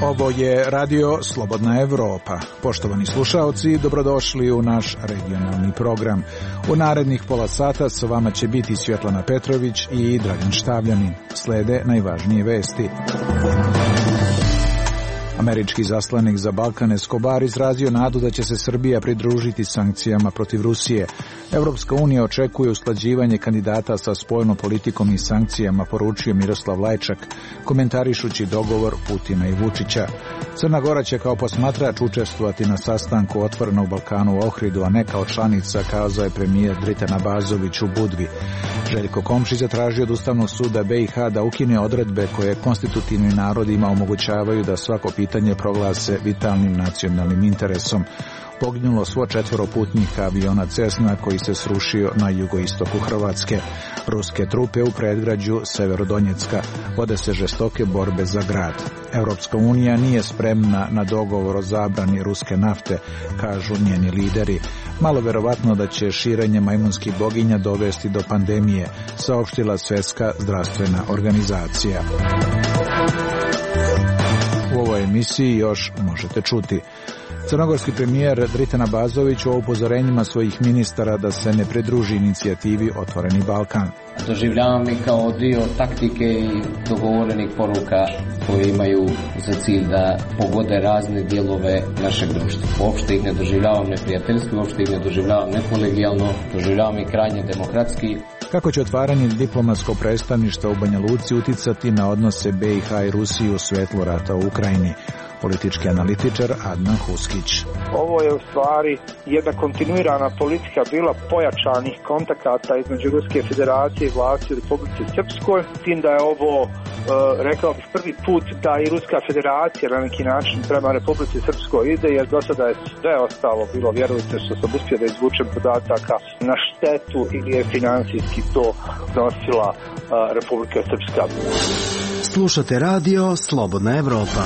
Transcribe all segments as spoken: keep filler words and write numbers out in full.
Ovo je Radio Slobodna Evropa. Poštovani slušaoci, dobrodošli u naš regionalni program. U narednih pola sata sa vama će biti Svjetlana Petrović i Dragan Štavljanin. Slede najvažnije vesti. Američki zaslanik za Balkan Escobar izrazio nadu da će se Srbija pridružiti sankcijama protiv Rusije. Evropska unija očekuje usklađivanje kandidata sa spoljnom politikom i sankcijama, poručio Miroslav Lajčak, komentarišući dogovor Putina i Vučića. Crna Gora će kao posmatrač učestvovati na sastanku Otvorenog Balkana u Ohridu, a ne kao članica, kazao je premijer Dritan Abazović u Budvi. Željko Komšić zatražio od Ustavnog suda B i H da ukine odredbe koje konstitutivnim narodima omogućavaju da svako pitanje proglase vitalnim nacionalnim interesom. Poginulo svo četvoro putnika aviona Cessna koji se srušio na jugoistoku Hrvatske. Ruske trupe u predgrađu Severodonjecka. Vode se žestoke borbe za grad. Europska unija nije spremna na dogovor o zabrani ruske nafte, kažu njeni lideri. Malo verovatno da će širenje majmunskih boginja dovesti do pandemije, saopštila Svjetska zdravstvena organizacija. U ovoj emisiji još možete čuti. Crnogorski premijer Dritan Abazović o upozorenjima svojih ministara da se ne pridruži inicijativi Otvoreni Balkan. Doživljavam ih kao dio taktike i dogovorenih poruka koje imaju za cilj da pogode razne dijelove našeg društva. Uopšte ih ne doživljavam neprijateljski, uopšte ih ne doživljavam nekolegijalno, doživljavam ih krajnje demokratski. Kako će otvaranje diplomatskog predstavništva u Banja Luci uticati na odnose B i H i Rusije u svetlu rata u Ukrajini? Politički analitičar Adnan Huskić. Ovo je u stvari jedna kontinuirana politika bila pojačanih kontakata između Ruske federacije i vlasti u Republici Srpskoj, s tim da je ovo, e, rekao bih, prvi put da i Ruska federacija na neki način prema Republici Srpskoj ide, jer do sada je sve ostalo bilo, vjerujte, što sam uspio da izvučem podataka, na štetu ili je financijski to nosila e, Republika Srpska. Slušate radio Slobodna Evropa.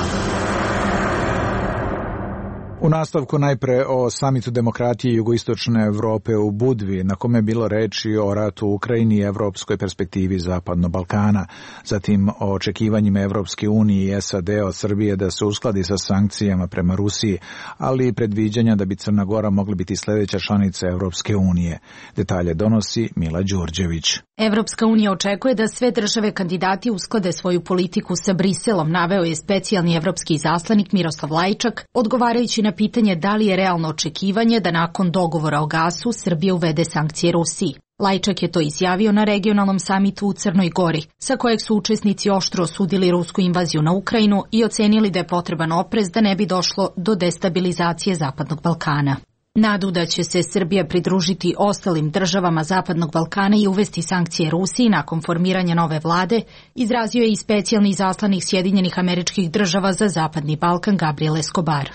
U nastavku najpre o samitu demokratije jugoistočne Evrope u Budvi, na kome je bilo reči o ratu u Ukrajini i evropskoj perspektivi Zapadnog Balkana. Zatim o očekivanjima Evropske unije i S A D od Srbije da se uskladi sa sankcijama prema Rusiji, ali i predviđanja da bi Crna Gora mogla biti sljedeća članica Evropske unije. Detalje donosi Mila Đurđević. Evropska unija očekuje da sve države kandidati usklade svoju politiku sa Briselom, naveo je specijalni evropski izaslanik Miroslav Lajčak, odgovarajući na pitanje da li je realno očekivanje da nakon dogovora o gasu Srbija uvede sankcije Rusiji. Lajčak je to izjavio na regionalnom samitu u Crnoj Gori, sa kojeg su učesnici oštro osudili rusku invaziju na Ukrajinu i ocenili da je potreban oprez da ne bi došlo do destabilizacije Zapadnog Balkana. Nadu da će se Srbija pridružiti ostalim državama Zapadnog Balkana i uvesti sankcije Rusiji nakon formiranja nove vlade, izrazio je i specijalni izaslanik Sjedinjenih Američkih Država za Zapadni Balkan Gabriel Escobar.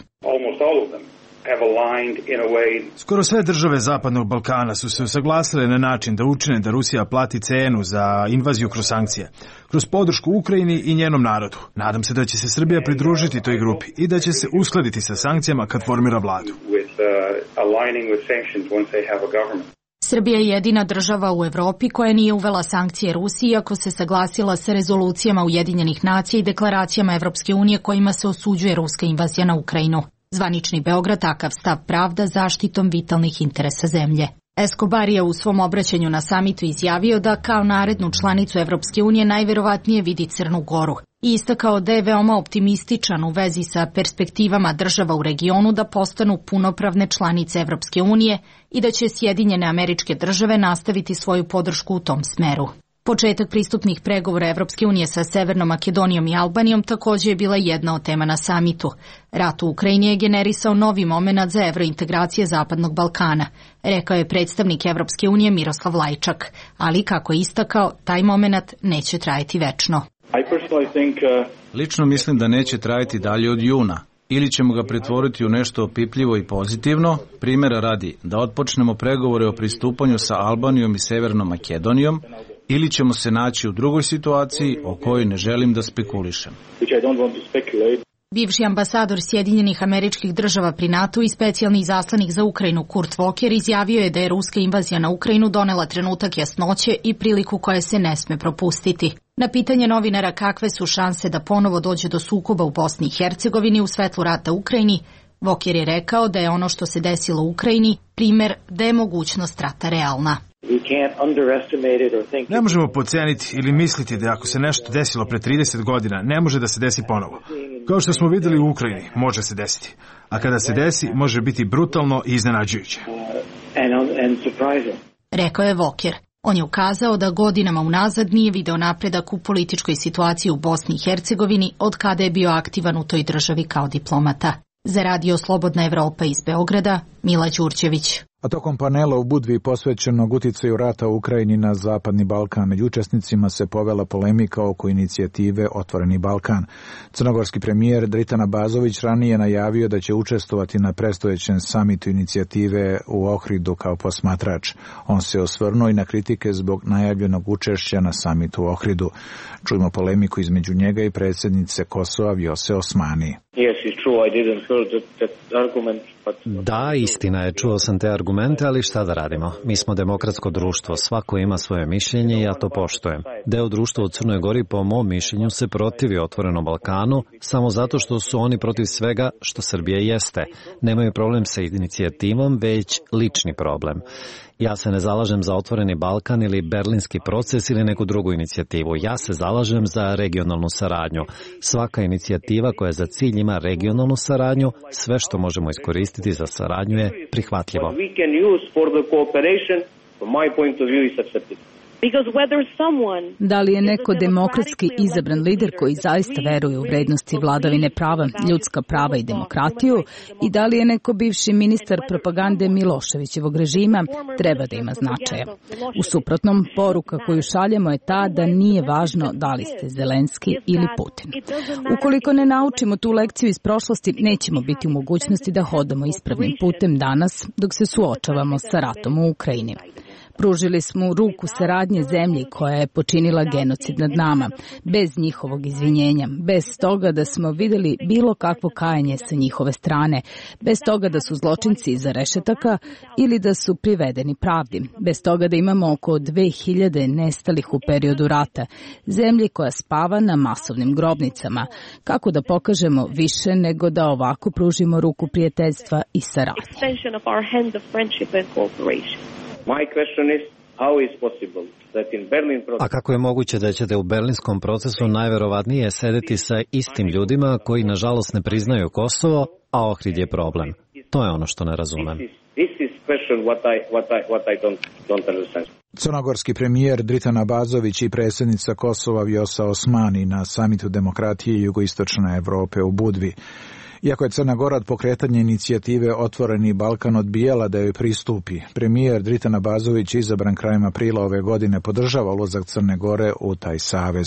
Skoro sve države Zapadnog Balkana su se usaglasile na način da učine da Rusija plati cenu za invaziju kroz sankcije, kroz podršku Ukrajini i njenom narodu. Nadam se da će se Srbija pridružiti toj grupi i da će se uskladiti sa sankcijama kad formira vladu. Srbija je jedina država u Evropi koja nije uvela sankcije Rusiji, iako se saglasila sa rezolucijama Ujedinjenih nacija i deklaracijama Evropske unije kojima se osuđuje ruska invazija na Ukrajinu. Zvanični Beograd takav stav pravda zaštitom vitalnih interesa zemlje. Escobar je u svom obraćanju na samitu izjavio da kao narednu članicu Evropske unije najverovatnije vidi Crnu Goru i istakao da je veoma optimističan u vezi sa perspektivama država u regionu da postanu punopravne članice Evropske unije i da će Sjedinjene Američke Države nastaviti svoju podršku u tom smeru. Početak pristupnih pregovora Evropske unije sa Severnom Makedonijom i Albanijom također je bila jedna od tema na samitu. Rat u Ukrajini je generisao novi momenat za evrointegracije Zapadnog Balkana, rekao je predstavnik Evropske unije Miroslav Lajčak, ali kako je istakao, taj momenat neće trajati večno. Lično mislim da neće trajati dalje od juna. Ili ćemo ga pretvoriti u nešto opipljivo i pozitivno, primjera radi da otpočnemo pregovore o pristupanju sa Albanijom i Severnom Makedonijom, ili ćemo se naći u drugoj situaciji o kojoj ne želim da spekulišem. Bivši ambasador Sjedinjenih Američkih Država pri NATO i specijalni izaslanik za Ukrajinu Kurt Volker izjavio je da je ruska invazija na Ukrajinu donela trenutak jasnoće i priliku koja se ne sme propustiti. Na pitanje novinara kakve su šanse da ponovo dođe do sukoba u Bosni i Hercegovini u svetlu rata u Ukrajini, Volker je rekao da je ono što se desilo u Ukrajini primer da je mogućnost rata realna. Ne možemo podceniti ili misliti da ako se nešto desilo pre trideset godina, ne može da se desi ponovo. Kao što smo videli u Ukrajini, može se desiti. A kada se desi, može biti brutalno i iznenađujuće. Rekao je Volker. On je ukazao da godinama unazad nije video napredak u političkoj situaciji u Bosni i Hercegovini od kada je bio aktivan u toj državi kao diplomata. Za Radio Slobodna Evropa iz Beograda, Mila Đurđević. A tokom panela u Budvi posvećenog uticaju rata u Ukrajini na Zapadni Balkan, među učesnicima se povela polemika oko inicijative Otvoreni Balkan. Crnogorski premijer Dritan Abazović ranije najavio da će učestvovati na predstojećem samitu inicijative u Ohridu kao posmatrač. On se osvrnuo i na kritike zbog najavljenog učešća na samitu u Ohridu. Čujmo polemiku između njega i predsjednice Kosova Vjose Osmani. Da, istina je, čuo sam te argumente, ali šta da radimo? Mi smo demokratsko društvo, svako ima svoje mišljenje i ja to poštujem. Deo društva u Crnoj Gori, po mom mišljenju, se protivi Otvorenom Balkanu samo zato što su oni protiv svega što Srbija jeste. Nemaju problem sa inicijativom, već lični problem. Ja se ne zalažem za Otvoreni Balkan ili Berlinski proces ili neku drugu inicijativu. Ja se zalažem za regionalnu saradnju. Svaka inicijativa koja za cilj ima regionalnu saradnju, sve što možemo iskoristiti za saradnju je prihvatljivo. Da li je neko demokratski izabran lider koji zaista veruje u vrednosti vladavine prava, ljudska prava i demokratiju i da li je neko bivši ministar propagande Miloševićevog režima, treba da ima značaja. U suprotnom, poruka koju šaljemo je ta da nije važno da li ste Zelenski ili Putin. Ukoliko ne naučimo tu lekciju iz prošlosti, nećemo biti u mogućnosti da hodamo ispravnim putem danas dok se suočavamo sa ratom u Ukrajini. Pružili smo ruku saradnje zemlji koja je počinila genocid nad nama, bez njihovog izvinjenja, bez toga da smo videli bilo kakvo kajanje sa njihove strane, bez toga da su zločinci iza rešetaka ili da su privedeni pravdi, bez toga da imamo oko dve hiljade nestalih u periodu rata, zemlji koja spava na masovnim grobnicama. Kako da pokažemo više nego da ovako pružimo ruku prijateljstva i saradnje? A kako je moguće da ćete u berlinskom procesu najverovatnije sedeti sa istim ljudima koji nažalost ne priznaju Kosovo, a Ohrid je problem? To je ono što ne razumem. Crnogorski premijer Dritan Abazović i predsjednica Kosova Vjosa Osmani na samitu demokratije jugoistočne Evrope u Budvi. Iako je Crna Gora od pokretanja inicijative Otvoreni Balkan odbijala da joj pristupi, premijer Dritan Abazović, izabran krajem aprila ove godine, podržava ulazak Crne Gore u taj savez.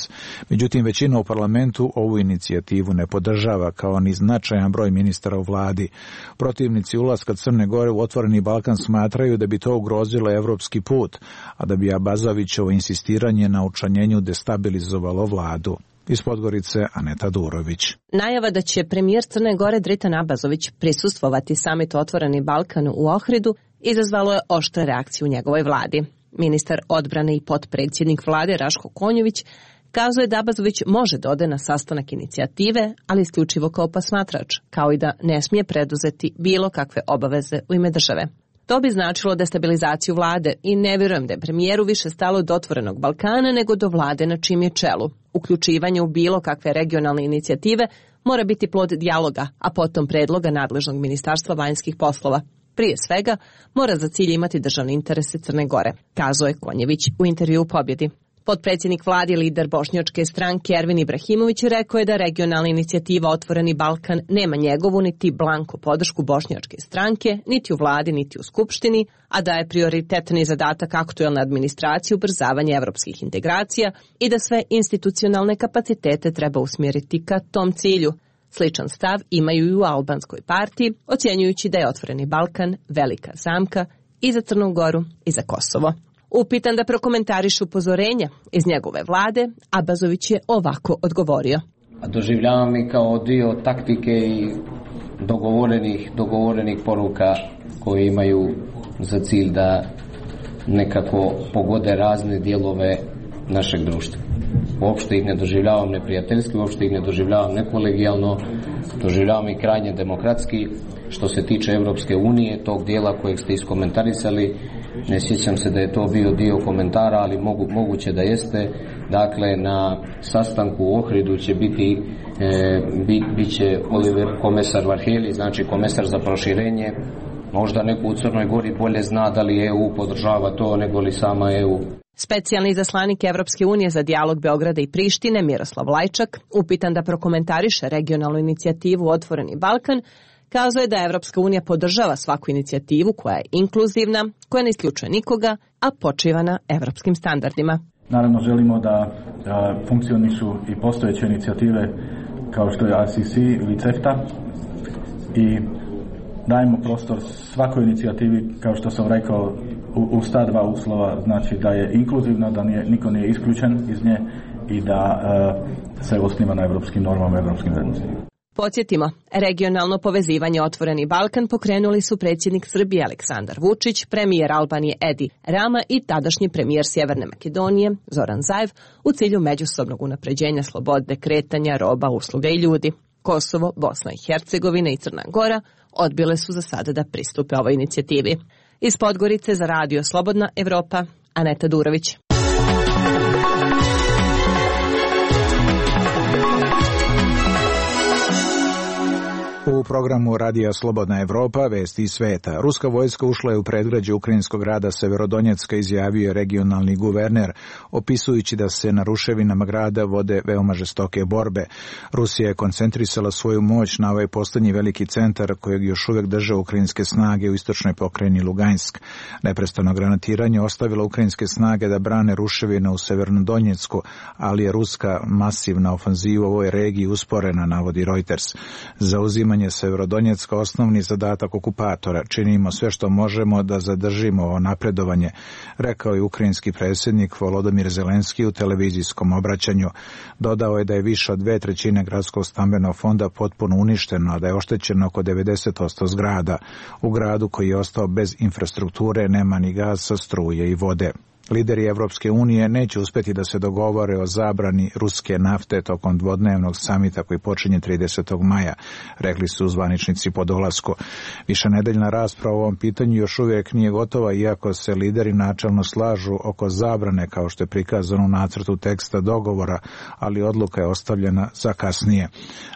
Međutim, većina u parlamentu ovu inicijativu ne podržava, kao ni značajan broj ministara u vladi. Protivnici ulaska Crne Gore u Otvoreni Balkan smatraju da bi to ugrozilo evropski put, a da bi Abazovićevo insistiranje na učlanjenju destabilizovalo vladu. Iz Podgorice, Aneta Durović. Najava da će premijer Crne Gore Dritan Abazović prisustvovati samitu Otvoreni Balkan u Ohridu izazvalo je oštre reakcije u njegovoj vladi. Ministar odbrane i potpredsjednik vlade Raško Konjović kazuje da Abazović može da ode na sastanak inicijative, ali isključivo kao posmatrač, kao i da ne smije preduzeti bilo kakve obaveze u ime države. To bi značilo destabilizaciju vlade i ne vjerujem da je premijeru više stalo do Otvorenog Balkana nego do vlade na čijem je čelu. Uključivanje u bilo kakve regionalne inicijative mora biti plod dijaloga, a potom predloga nadležnog ministarstva vanjskih poslova. Prije svega, mora za cilj imati državne interese Crne Gore, kazao je Konjević u intervju u Pobjedi. Potpredsjednik vlade i lider bošnjačke stranke Ervin Ibrahimović rekao je da regionalna inicijativa Otvoreni Balkan nema njegovu niti blanko podršku bošnjačke stranke, niti u vladi, niti u skupštini, a da je prioritetni zadatak aktuelne administracije ubrzavanje evropskih integracija i da sve institucionalne kapacitete treba usmjeriti ka tom cilju. Sličan stav imaju i u albanskoj partiji, ocjenjujući da je Otvoreni Balkan velika zamka i za Crnu Goru i za Kosovo. Upitan da prokomentariše upozorenja iz njegove vlade, Abazović je ovako odgovorio. doživljavam i kao dio taktike i dogovorenih, dogovorenih poruka koje imaju za cilj da nekako pogode razne dijelove našeg društva. Uopšte ih ne doživljavam neprijateljski, uopšte ih ne doživljavam nekolegijalno, doživljavam i krajnje demokratski. Što se tiče Evropske unije, tog dijela kojeg ste iskomentarisali, ne sjećam se da je to bio dio komentara, ali mogu, moguće da jeste. Dakle, na sastanku u Ohridu će biti e, bit, bit će Oliver komesar Varheli, znači komesar za proširenje. Možda neko u Crnoj Gori bolje zna da li E U podržava to nego li sama E U. Specijalni izaslanik Evropske unije za dijalog Beograda i Prištine, Miroslav Lajčak, upitan da prokomentariše regionalnu inicijativu Otvoreni Balkan, kazuje da Evropska unija podržava svaku inicijativu koja je inkluzivna, koja ne isključuje nikoga, a počiva na evropskim standardima. Naravno želimo da, da funkcionišu i postojeće inicijative kao što je A C C ili CEFTA i dajemo prostor svakoj inicijativi, kao što sam rekao, u, u sta dva uslova, znači da je inkluzivna, da nije, niko nije isključen iz nje i da uh, se osniva na evropskim normama, evropskim vrednostima. Podsjetimo, regionalno povezivanje Otvoreni Balkan pokrenuli su predsjednik Srbije Aleksandar Vučić, premijer Albanije Edi Rama i tadašnji premijer Sjeverne Makedonije Zoran Zaev u cilju međusobnog unapređenja slobode kretanja roba, usluga i ljudi. Kosovo, Bosna i Hercegovina i Crna Gora odbile su za sada da pristupe ovoj inicijativi. Iz Podgorice za Radio Slobodna Evropa, Aneta Durović. U programu Radija Slobodna Evropa vesti iz sveta. Ruska vojska ušla je u predgrađe ukrajinskog grada Severodonjecka, izjavio je regionalni guverner, opisujući da se na ruševinama grada vode veoma žestoke borbe. Rusija je koncentrisala svoju moć na ovaj poslednji veliki centar kojeg još uvijek drže ukrajinske snage u istočnoj pokrajini Lugansk. Neprestano granatiranje ostavilo ukrajinske snage da brane ruševine u Severnodonjecku, ali je ruska masivna ofanziva u ovoj regiji usporena, navodi Reuters. Zauzimanje Severodonjecka osnovni zadatak okupatora. Činimo sve što možemo da zadržimo ovo napredovanje, rekao je ukrajinski predsjednik Volodymyr Zelenski u televizijskom obraćanju. Dodao je da je više od dve trećine gradskog stambenog fonda potpuno uništeno, a da je oštećeno oko devedeset posto zgrada. U gradu koji je ostao bez infrastrukture nema ni gasa, struje i vode. Lideri Evropske unije neće uspjeti da se dogovore o zabrani ruske nafte tokom dvodnevnog samita koji počinje tridesetog maja, rekli su zvaničnici po dolasku. Višenedeljna rasprava o ovom pitanju još uvijek nije gotova, iako se lideri načelno slažu oko zabrane, kao što je prikazano u nacrtu teksta dogovora, ali odluka je ostavljena za kasnije.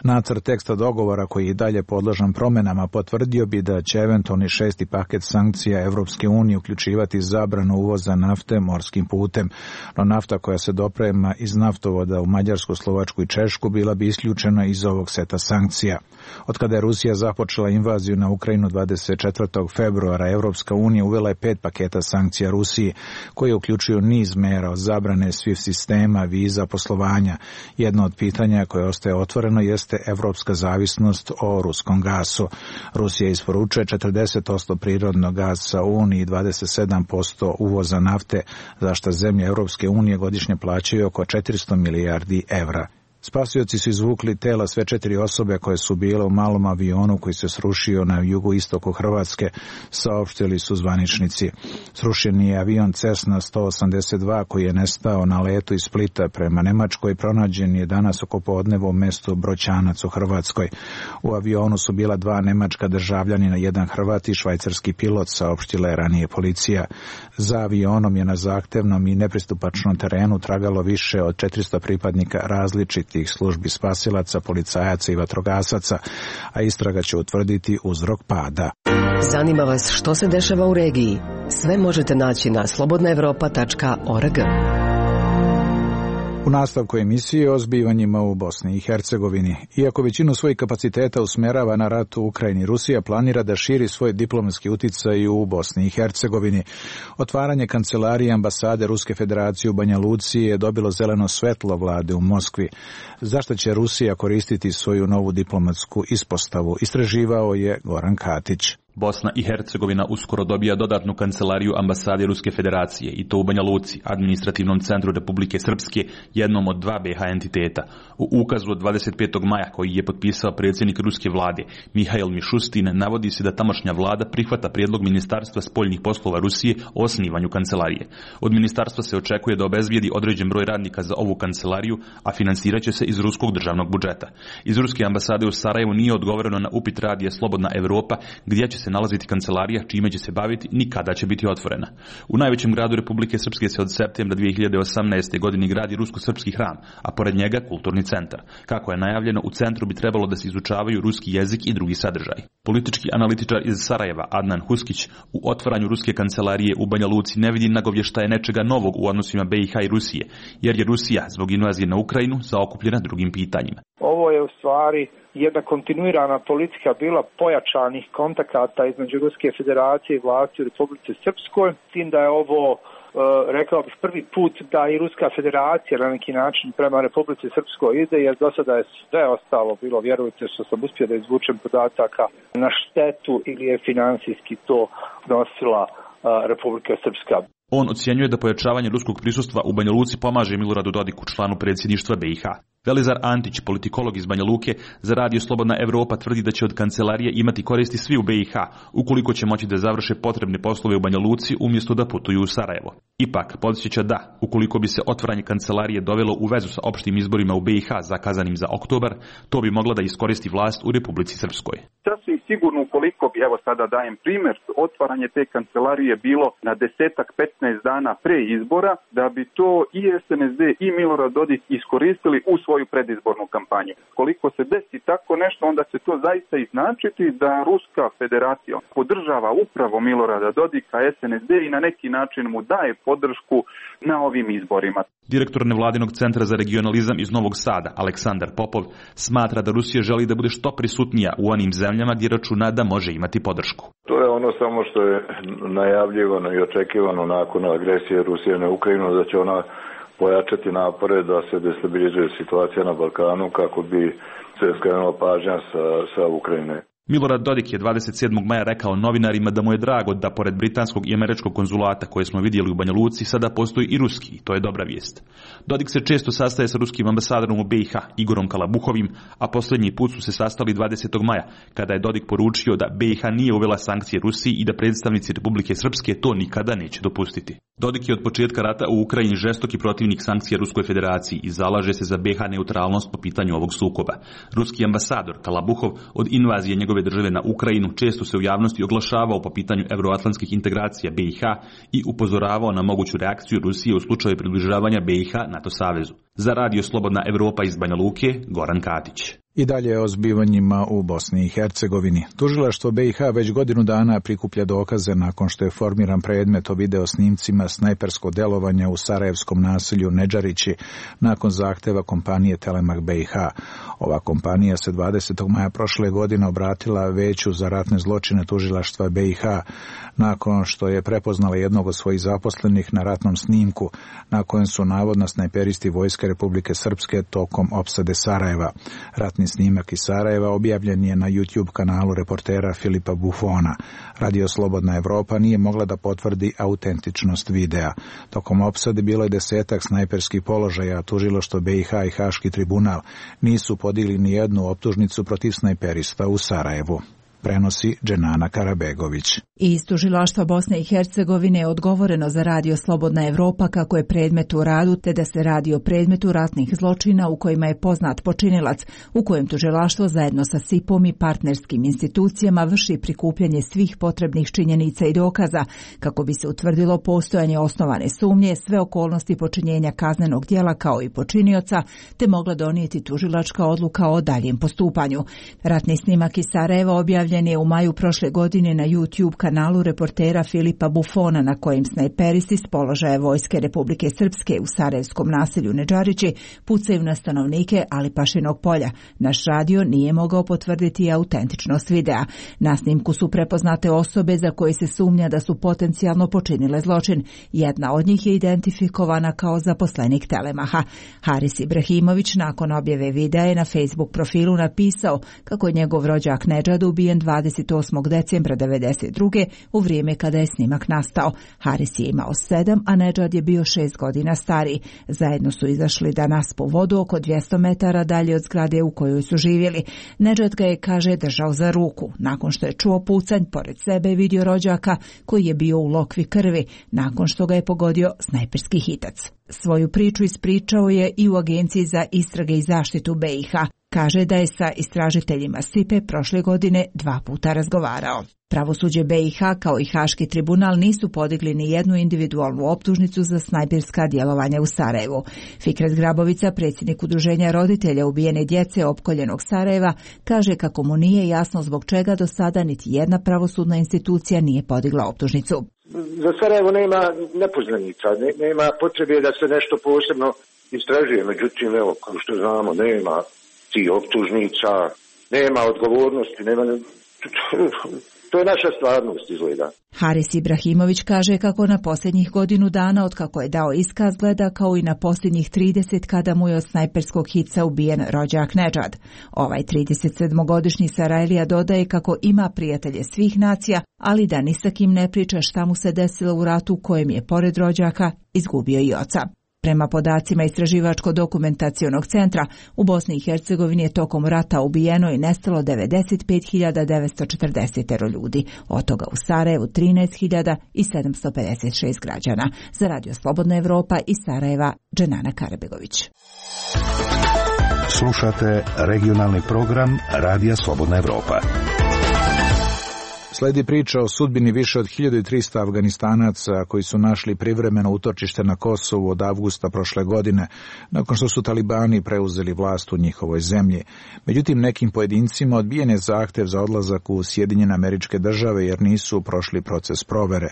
Nacrt teksta dogovora, koji je dalje podložan promjenama, potvrdio bi da će eventualni šesti paket sankcija Evropske unije uključivati zabranu uvoza nafte morskim putem, no nafta koja se doprema iz naftovoda u Mađarsku, Slovačku i Češku bila bi isključena iz ovog seta sankcija. Od kada je Rusija započela invaziju na Ukrajinu dvadeset četvrtog februara, Evropska unija uvela je pet paketa sankcija Rusiji, koje uključuju niz mera od zabrane SWIFT sistema, viza, poslovanja. Jedno od pitanja koje ostaje otvoreno jeste evropska zavisnost o ruskom gasu. Rusija isporučuje četrdeset posto prirodnog gasa u Uniji i dvadeset sedam posto uvoza nafte, za što zemlje Evropske unije godišnje plaćaju oko četiristo milijardi evra. Spasioci su izvukli tela sve četiri osobe koje su bile u malom avionu koji se srušio na jugoistoku Hrvatske, saopštili su zvaničnici. Srušen je avion Cessna sto osamdeset dva koji je nestao na letu iz Splita prema Nemačkoj, pronađen je danas oko podneva u mestu Broćanac u Hrvatskoj. U avionu su bila dva nemačka državljanina, jedan Hrvat i švajcarski pilot, saopštila je ranije policija. Za avionom je na zahtevnom i nepristupačnom terenu tragalo više od četiristo pripadnika različitih tih službi spasilaca, policajaca i vatrogasaca, a istraga će utvrditi uzrok pada. Zanima vas što se dešava u regiji? Sve možete naći na slobodna evropa tačka org. U nastavku emisije o zbivanjima u Bosni i Hercegovini. Iako većinu svojih kapaciteta usmjerava na rat u Ukrajini, Rusija planira da širi svoj diplomatski uticaj u Bosni i Hercegovini. Otvaranje kancelarije ambasade Ruske federacije u Banja Luci je dobilo zeleno svetlo vlade u Moskvi. Zašto će Rusija koristiti svoju novu diplomatsku ispostavu? Istraživao je Goran Katić. Bosna i Hercegovina uskoro dobija dodatnu kancelariju ambasade Ruske federacije i to u Banja Luci, administrativnom centru Republike Srpske, jednom od dva be ha entiteta. U ukazu od dvadeset petog maja koji je potpisao predsjednik Ruske vlade Mihail Mišustin navodi se da tamošnja vlada prihvata prijedlog Ministarstva spoljnih poslova Rusije o osnivanju kancelarije. Od ministarstva se očekuje da obezbijedi određen broj radnika za ovu kancelariju, a financirat će se iz ruskog državnog budžeta. Iz Ruske ambasade u Sarajevu nije odgovoreno na upit radija Slobodna Evropa gdje će se nalaziti kancelarija, čime će se baviti, ni kada će biti otvorena. U najvećem gradu Republike Srpske se od septembra dvije hiljade osamnaeste. godine gradi rusko-srpski hram, a pored njega kulturni centar. Kako je najavljeno, u centru bi trebalo da se izučavaju ruski jezik i drugi sadržaj. Politički analitičar iz Sarajeva Adnan Huskić u otvaranju ruske kancelarije u Banja Luci ne vidi nagovještaje nečega novog u odnosima be i ha i Rusije, jer je Rusija zbog invazije na Ukrajinu zaokupljena drugim pitanjima. Ovo je u stvari jedna kontinuirana politika bila pojačanih kontakata između Ruske federacije i vlasti u Republici Srpskoj, s tim da je ovo, rekao bih, prvi put da i Ruska federacija na neki način prema Republici Srpskoj ide, jer do sada je sve ostalo bilo, vjerujte što sam uspio da izvučem podataka, na štetu ili je financijski to nosila Republika Srpska. On ocjenjuje da pojačavanje ruskog prisustva u Banja Luci pomaže Miloradu Dodiku, članu predsjedništva be i ha. Velizar Antić, politikolog iz Banja Luke, za radio Slobodna Evropa tvrdi da će od kancelarije imati koristi svi u be i ha, ukoliko će moći da završe potrebne poslove u Banja Luci umjesto da putuju u Sarajevo. Ipak, podsjeća da, ukoliko bi se otvaranje kancelarije dovelo u vezu sa opštim izborima u be i ha zakazanim za oktobar, to bi mogla da iskoristi vlast u Republici Srpskoj. Sasvim sigurno, ukoliko bi, evo sada dajem primjer, otvaranje te kancelarije bilo na desetak, petnaest dana pre izbora, da bi to i es en es de i Milorad Dodik iskoristili u svoju predizbornu kampanju. Koliko se desi tako nešto, onda će to zaista i značiti da Ruska federacija podržava upravo Milorada Dodika, es en es de i na neki način mu daje podršku na ovim izborima. Direktor nevladinog centra za regionalizam iz Novog Sada, Aleksandar Popov, smatra da Rusija želi da bude što prisutnija u onim zemljama gdje računa da može imati podršku. To je ono samo što je najavljivano i očekivano nakon agresije Rusije na Ukrajinu, da će ona pojačati napore da se destabilizuje situacija na Balkanu kako bi se skrenula pažnja sa, sa Ukrajine. Milorad Dodik je dvadeset sedmog maja rekao novinarima da mu je drago da pored britanskog i američkog konzulata koje smo vidjeli u Banja Luci sada postoji i ruski, to je dobra vijest. Dodik se često sastaje sa ruskim ambasadorom u be i ha, Igorom Kalabuhovim, a posljednji put su se sastali dvadesetog maja, kada je Dodik poručio da be i ha nije uvela sankcije Rusiji i da predstavnici Republike Srpske to nikada neće dopustiti. Dodik je od početka rata u Ukrajini žestoki protivnik sankcija Ruskoj federaciji i zalaže se za be i ha neutralnost po pitanju ovog sukoba. Ruski ambasador Kalabuhov od invazije njegove države na Ukrajinu često se u javnosti oglašavao po pitanju euroatlantskih integracija be i ha i upozoravao na moguću reakciju Rusije u slučaju približavanja be i ha NATO savezu. Za radio Slobodna Evropa iz Banja Luke, Goran Katić. I dalje o zbivanjima u Bosni i Hercegovini. Tužilaštvo be i ha već godinu dana prikuplja dokaze nakon što je formiran predmet o video snimcima snajperskog delovanja u sarajevskom naselju Nedžarići nakon zahteva kompanije Telemak be i ha. Ova kompanija se dvadesetog maja prošle godine obratila Veću za ratne zločine tužilaštva be i ha nakon što je prepoznala jednog od svojih zaposlenih na ratnom snimku na kojem su navodno snajperisti Vojske Republike Srpske tokom opsade Sarajeva. Ratni snimak iz Sarajeva objavljen je na YouTube kanalu reportera Filipa Buffona. Radio Slobodna Evropa nije mogla da potvrdi autentičnost videa. Tokom opsade bilo je desetak snajperskih položaja, a tužilaštvo be i ha i Haški tribunal nisu podigli ni jednu optužnicu protiv snajperista u Sarajevu. Prenosi Dženana Karabegović. Iz tužilaštva Bosne i Hercegovine je odgovoreno za radio Slobodna Evropa kako je predmet u radu, te da se radi o predmetu ratnih zločina u kojima je poznat počinilac, u kojem tužilaštvo zajedno sa sipom i partnerskim institucijama vrši prikupljanje svih potrebnih činjenica i dokaza kako bi se utvrdilo postojanje osnovane sumnje, sve okolnosti počinjenja kaznenog djela kao i počinioca, te mogla donijeti tužilačka odluka o daljem postupanju. Ratni snimak iz Sarajeva objavljen je u maju prošle godine na YouTube kanalu reportera Filipa Buffona, na kojem snajperisti s položaja Vojske Republike Srpske u sarajevskom naselju Nedžarići pucaju na stanovnike Alipašinog polja. Naš radio nije mogao potvrditi autentičnost videa. Na snimku su prepoznate osobe za koje se sumnja da su potencijalno počinile zločin. Jedna od njih je identifikovana kao zaposlenik Telemaha. Haris Ibrahimović nakon objave videa je na Facebook profilu napisao kako je njegov rođak Nedžad ubijen dvadeset osmog decembra devedeset druge u vrijeme kada je snimak nastao. Haris je imao sedam, a Nedžad je bio šest godina stariji. Zajedno su izašli da naspu vodu oko dvjesto metara dalje od zgrade u kojoj su živjeli. Nedžad ga je, kaže, držao za ruku. Nakon što je čuo pucanj, pored sebe je vidio rođaka koji je bio u lokvi krvi, nakon što ga je pogodio snajperski hitac. Svoju priču ispričao je i u Agenciji za istrage i zaštitu B i H. Kaže da je sa istražiteljima S I P E prošle godine dva puta razgovarao. Pravosuđe B i H kao i Haški tribunal nisu podigli ni jednu individualnu optužnicu za snajperska djelovanja u Sarajevu. Fikret Grabovica, predsjednik udruženja roditelja ubijene djece opkoljenog Sarajeva, kaže kako mu nije jasno zbog čega do sada niti jedna pravosudna institucija nije podigla optužnicu. Za Sarajevo nema nepoznanica, ne, nema potrebe da se nešto posebno istražuje, međutim, evo, kao što znamo, nema ti optužnica, nema odgovornosti, nema... To je naša stvarnost, izgleda. Haris Ibrahimović kaže kako na posljednjih godinu dana od kako je dao iskaz gleda kao i na posljednjih trideset kada mu je od snajperskog hica ubijen rođak Nedžad. Ovaj tridesetsedmogodišnji Sarajlija dodaje kako ima prijatelje svih nacija, ali da ni sa kim ne priča šta mu se desilo u ratu kojem je pored rođaka izgubio i oca. Prema podacima Istraživačko-dokumentacionog centra, u Bosni i Hercegovini je tokom rata ubijeno i nestalo devedeset pet hiljada devetsto četrdeset ljudi, od toga u Sarajevu trinaest hiljada sedamsto pedeset šest građana. Za Radio Slobodna Evropa iz Sarajeva, Dženana Karabegović. Slušate regionalni program Radija Slobodna Evropa. Sledi priča o sudbini više od hiljadu trista Afganistanaca koji su našli privremeno utočište na Kosovu od avgusta prošle godine, nakon što su talibani preuzeli vlast u njihovoj zemlji. Međutim, nekim pojedincima odbijen je zahtev za odlazak u Sjedinjene Američke Države jer nisu prošli proces provere.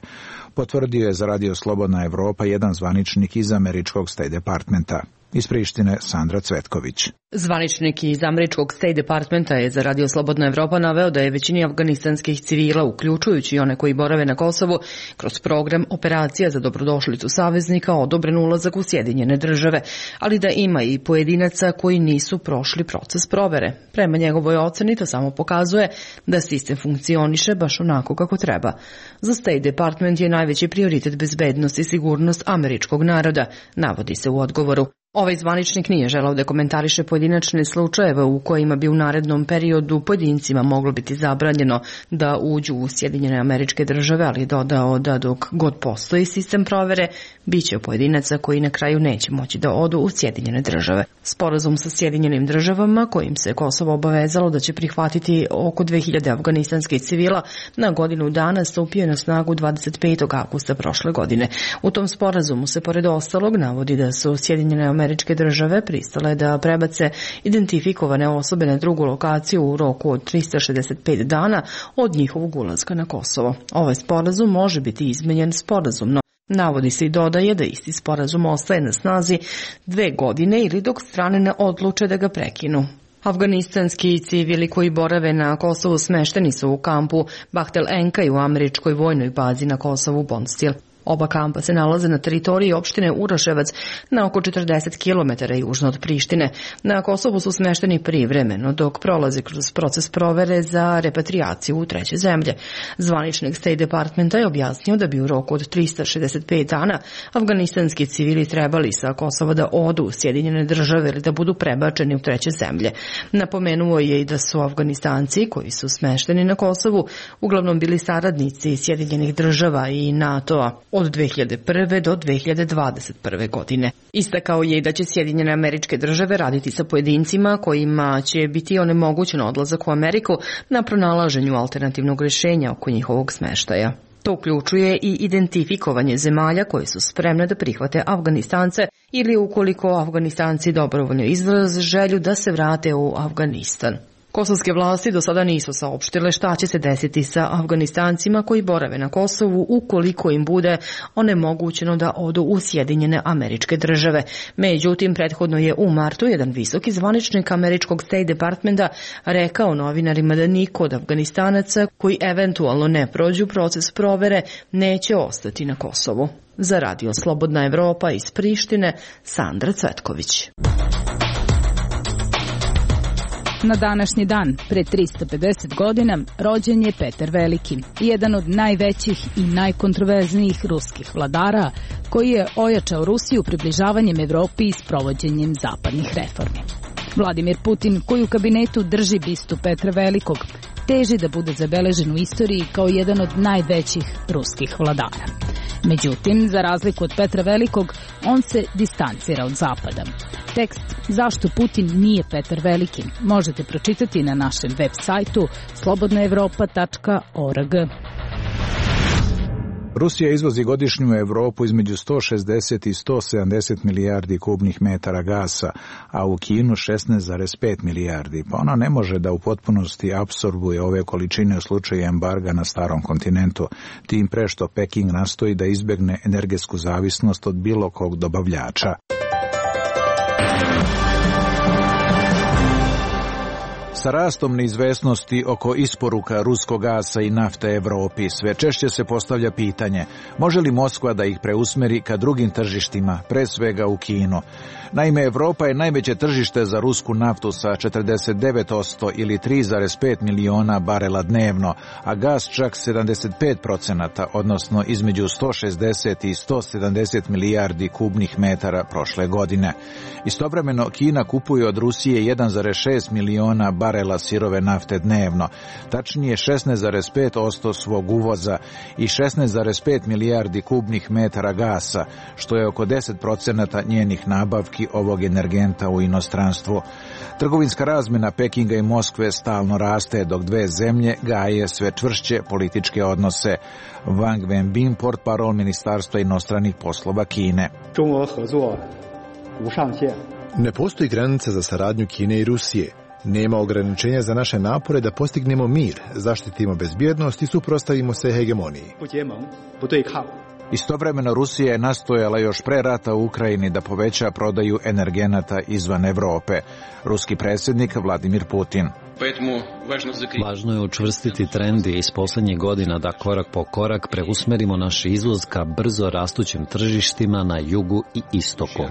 Potvrdio je za Radio Slobodna Evropa jedan zvaničnik iz američkog State Departmenta. Iz Prištine, Sandra Cvetković. Zvaničnik iz američkog State Departmenta je za Radio Slobodna Evropa naveo da je većini afganistanskih civila, uključujući i one koji borave na Kosovu, kroz program Operacija za dobrodošlicu saveznika odobren ulazak u Sjedinjene Države, ali da ima i pojedinaca koji nisu prošli proces provere. Prema njegovoj oceni to samo pokazuje da sistem funkcioniše baš onako kako treba. Za State Department je najveći prioritet bezbednost i sigurnost američkog naroda, navodi se u odgovoru. Ovaj zvaničnik nije želao da komentariše pojedinačne slučajeve u kojima bi u narednom periodu pojedincima moglo biti zabranjeno da uđu u Sjedinjene Američke Države, ali dodao da dok god postoji sistem provere, bit će pojedinaca koji na kraju neće moći da odu u Sjedinjene Države. Sporazum sa Sjedinjenim Državama, kojim se Kosovo obavezalo da će prihvatiti oko dve hiljade afganistanskih civila, na godinu dana stupio na snagu dvadeset petog avgusta prošle godine. U tom sporazumu se pored ostalog navodi da su Sjedinjene Američke Države pristale da prebace identifikovane osobe na drugu lokaciju u roku od trista šezdeset pet dana od njihovog ulaska na Kosovo. Ovaj sporazum može biti izmenjen sporazumno. Navodi se i dodaje da isti sporazum ostaje na snazi dve godine ili dok strane ne odluče da ga prekinu. Afganistanski civili koji borave na Kosovu smešteni su u kampu Bahtel Enkaj u američkoj vojnoj bazi na Kosovu Bondstil. Oba kampa se nalaze na teritoriji opštine Uroševac na oko četrdeset kilometara južno od Prištine. Na Kosovu su smešteni privremeno dok prolaze kroz proces provere za repatriaciju u treće zemlje. Zvaničnik State Departmenta je objasnio da bi u roku od trista šezdeset pet dana afganistanski civili trebali sa Kosova da odu u Sjedinjene Države ili da budu prebačeni u treće zemlje. Napomenuo je i da su Afganistanci koji su smešteni na Kosovu uglavnom bili saradnici Sjedinjenih Država i NATO-a od dve hiljade prve do dve hiljade dvadeset prve godine. Istakao je i da će Sjedinjene Američke Države raditi sa pojedincima kojima će biti onemogućen odlazak u Ameriku na pronalaženju alternativnog rješenja oko njihovog smeštaja. To uključuje i identifikovanje zemalja koje su spremne da prihvate Afganistance ili ukoliko Afganistanci dobrovoljno izraze želju da se vrate u Afganistan. Kosovske vlasti do sada nisu saopštile šta će se desiti sa Afganistancima koji borave na Kosovu ukoliko im bude onemogućeno da odu u Sjedinjene Američke Države. Međutim, prethodno je u martu jedan visoki zvaničnik američkog State Departmenta rekao novinarima da niko od Afganistanaca koji eventualno ne prođu proces provere neće ostati na Kosovu. Za Radio Slobodna Evropa iz Prištine, Sandra Cvetković. Na današnji dan, pre tristo pedeset godina, rođen je Petar Veliki, jedan od najvećih i najkontroverznijih ruskih vladara, koji je ojačao Rusiju približavanjem Evropi i sprovođenjem zapadnih reformi. Vladimir Putin, koji u kabinetu drži bistu Petra Velikog, teži da bude zabeležen u istoriji kao jedan od najvećih ruskih vladara. Međutim, za razliku od Petra Velikog, on se distancira od Zapada. Tekst Zašto Putin nije Petar Veliki možete pročitati na našem web sajtu slobodna evropa tačka org. Rusija izvozi godišnju u Evropu između sto šezdeset i sto sedamdeset milijardi kubnih metara gasa, a u Kinu šesnaest zarez pet milijardi, pa ona ne može da u potpunosti apsorbuje ove količine u slučaju embarga na starom kontinentu, tim pre što Peking nastoji da izbegne energetsku zavisnost od bilo kog dobavljača. Sa rastom neizvesnosti oko isporuka ruskog gasa i nafte Evropi sve češće se postavlja pitanje može li Moskva da ih preusmeri ka drugim tržištima, pre svega u Kinu. Naime, Evropa je najveće tržište za rusku naftu sa četrdeset devet posto ili tri zarez pet miliona barela dnevno, a gas čak sedamdeset pet procenata, odnosno između sto šezdeset i sto sedamdeset milijardi kubnih metara prošle godine. Istovremeno, Kina kupuje od Rusije jedan zarez šest miliona barela sirove nafte dnevno, tačnije šesnaest zarez pet posto svog uvoza i šesnaest zarez pet milijardi kubnih metara gasa, što je oko deset procenata njenih nabavki ovog energenta u inostranstvu. Trgovinska razmena Pekinga i Moskve stalno raste, dok dve zemlje gaje sve čvršće političke odnose. Wang Wenbin, portparol Ministarstva inostranih poslova Kine. Ne postoji granica za saradnju Kine i Rusije. Nema ograničenja za naše napore da postignemo mir, zaštitimo bezbjednost i suprotstavimo se hegemoniji. Istovremeno Rusija je nastojala još pre rata u Ukrajini da poveća prodaju energenata izvan Evrope. Ruski predsjednik Vladimir Putin. Važno je učvrstiti trend i iz poslednjih godina da korak po korak preusmerimo naš izvoz ka brzo rastućim tržištima na jugu i istoku.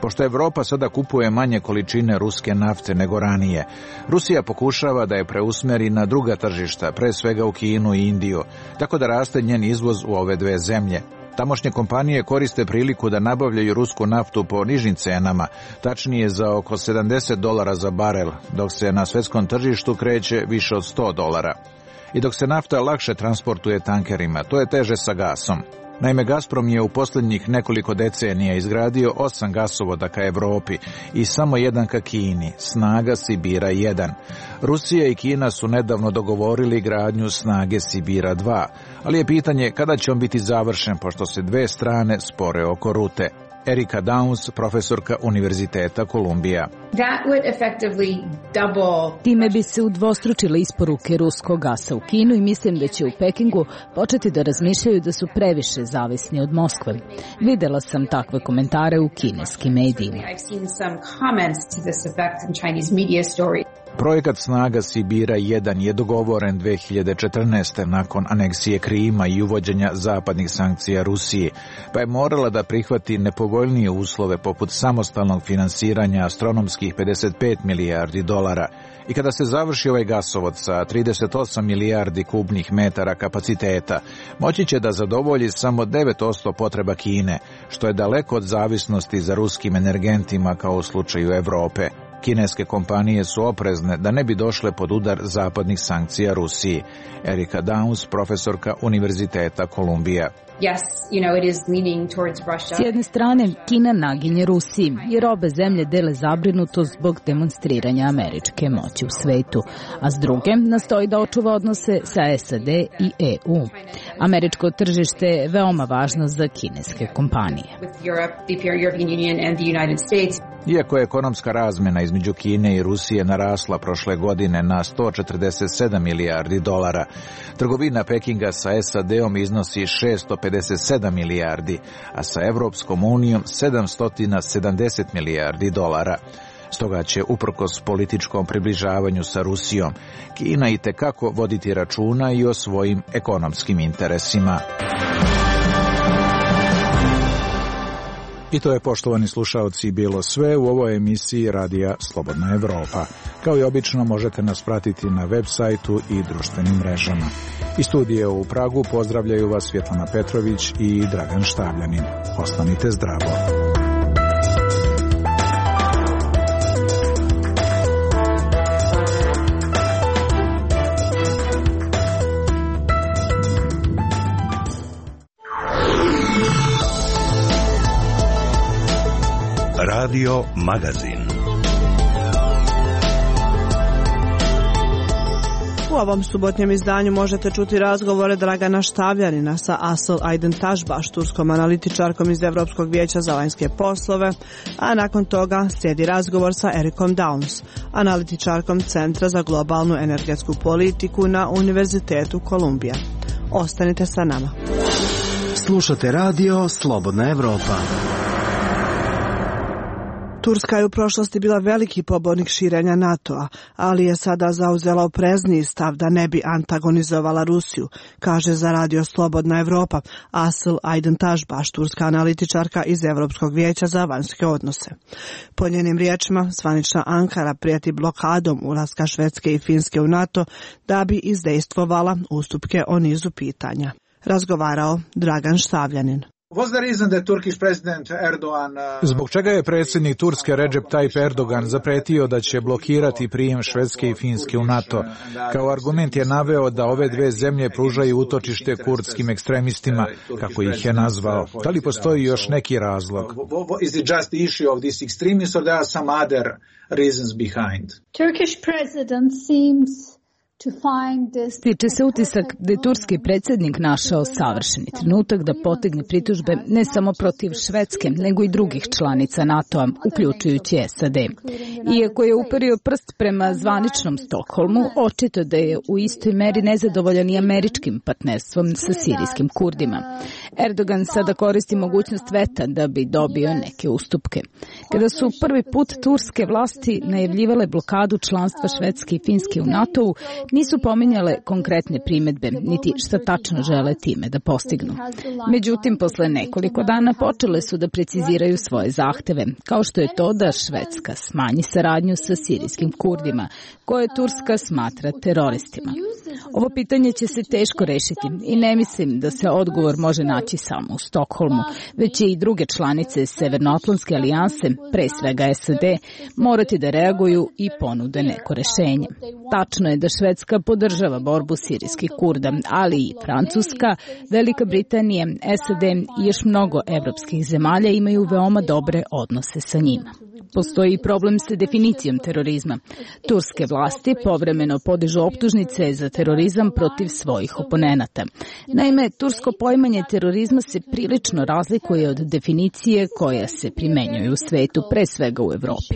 Pošto Evropa sada kupuje manje količine ruske nafte nego ranije, Rusija pokušava da je preusmeri na druga tržišta, pre svega u Kinu i Indiju, tako da raste njen izvoz u ove dve zemlje. Tamošnje kompanije koriste priliku da nabavljaju rusku naftu po nižim cenama, tačnije za oko sedamdeset dolara za barel, dok se na svetskom tržištu kreće više od sto dolara. I dok se nafta lakše transportuje tankerima, to je teže sa gasom. Naime, Gazprom je u posljednjih nekoliko decenija izgradio osam gasovoda ka Evropi i samo jedan ka Kini, snaga Sibira jedan. Rusija i Kina su nedavno dogovorili gradnju snage Sibira dva, ali je pitanje kada će on biti završen, pošto se dve strane spore oko rute. Erika Downs, profesorka Univerziteta Kolumbija. Time bi se udvostručile isporuke ruskog gasa u Kinu i mislim da će u Pekingu početi da razmišljaju da su previše zavisni od Moskve. Videla sam takve komentare u kineskim medijima. Projekat snaga Sibira jedan je dogovoren dve hiljade četrnaeste. nakon aneksije Krima i uvođenja zapadnih sankcija Rusiji, pa je morala da prihvati nepovoljnije uslove poput samostalnog finansiranja astronomskih pedeset pet milijardi dolara. I kada se završi ovaj gasovod sa trideset osam milijardi kubnih metara kapaciteta, moći će da zadovolji samo devet posto potreba Kine, što je daleko od zavisnosti za ruskim energentima kao u slučaju Evrope. Kineske kompanije su oprezne da ne bi došle pod udar zapadnih sankcija Rusiji. Erika Downs, profesorka Univerziteta Kolumbija. S jedne strane, Kina naginje Rusiji, jer obe zemlje dele zabrinutost zbog demonstriranja američke moći u svetu, a s druge nastoji da očuva odnose sa S A D i E U. Američko tržište je veoma važno za kineske kompanije. Iako je ekonomska razmena između Kine i Rusije narasla prošle godine na sto četrdeset sedam milijardi dolara, trgovina Pekinga sa S A D-om iznosi šesto pedeset sedam milijardi, a sa Evropskom unijom sedamsto sedamdeset milijardi dolara. Stoga će, uprkos političkom približavanju sa Rusijom, Kina itekako voditi računa i o svojim ekonomskim interesima. I to je, poštovani slušaoci, bilo sve u ovoj emisiji Radija Slobodna Evropa. Kao i obično možete nas pratiti na web sajtu i društvenim mrežama. Iz studija u Pragu pozdravljaju vas Svjetlana Petrović i Dragan Štavljanin. Ostanite zdravo. Radio Magazin. U ovom subotnjem izdanju možete čuti razgovore Dragana Štavljanina sa Asıl Aydın Taşbaş, turskom analitičarkom iz Evropskog vijeća za vanjske poslove, a nakon toga slijedi razgovor sa Erikom Downs, analitičarkom Centra za globalnu energetsku politiku na Univerzitetu Kolumbija. Ostanite sa nama. Slušate radio Slobodna Evropa. Turska je u prošlosti bila veliki pobornik širenja NATO-a, ali je sada zauzela oprezniji stav da ne bi antagonizovala Rusiju, kaže za radio Slobodna Evropa Asıl Aydın Taşbaş, turska analitičarka iz Evropskog vijeća za vanjske odnose. Po njenim riječima, zvanična Ankara prijeti blokadom ulaska Švedske i Finske u NATO da bi izdejstvovala ustupke o nizu pitanja. Razgovarao Dragan Štavljanin. Zbog čega je predsjednik Turske Recep Tayyip Erdogan zapretio da će blokirati prijem Švedske i Finske u NATO? Kao argument je naveo da ove dve zemlje pružaju utočište kurdskim ekstremistima, kako ih je nazvao. Da li postoji još neki razlog? Turkish president seems Stiče se utisak da je turski predsjednik našao savršeni trenutak da potegne pritužbe ne samo protiv Švedske, nego i drugih članica NATO-a, uključujući S A D. Iako je uperio prst prema zvaničnom Stokholmu, očito da je u istoj meri nezadovoljan i američkim partnerstvom sa sirijskim Kurdima. Erdogan sada koristi mogućnost veta da bi dobio neke ustupke. Kada su prvi put turske vlasti najavljivale blokadu članstva Švedske i Finske u NATO-u, nisu pominjale konkretne primedbe, niti šta tačno žele time da postignu. Međutim, posle nekoliko dana počele su da preciziraju svoje zahteve, kao što je to da Švedska smanji saradnju sa sirijskim Kurdima, koje Turska smatra teroristima. Ovo pitanje će se teško rešiti i ne mislim da se odgovor može naći samo u Stokholmu, već će i druge članice Severnoatlantske alijanse, pre svega S A D, morati da reaguju i ponude neko rešenje. Tačno je da Švedska podržava borbu sirijskih Kurda, ali i Francuska, Velika Britanija, S A D i još mnogo evropskih zemalja imaju veoma dobre odnose sa njima. Postoji problem sa definicijom terorizma. Turske vlasti povremeno podižu optužnice za terorizam protiv svojih oponenata. Naime, tursko poimanje terorizma se prilično razlikuje od definicije koja se primenjuje u svetu, pre svega u Evropi.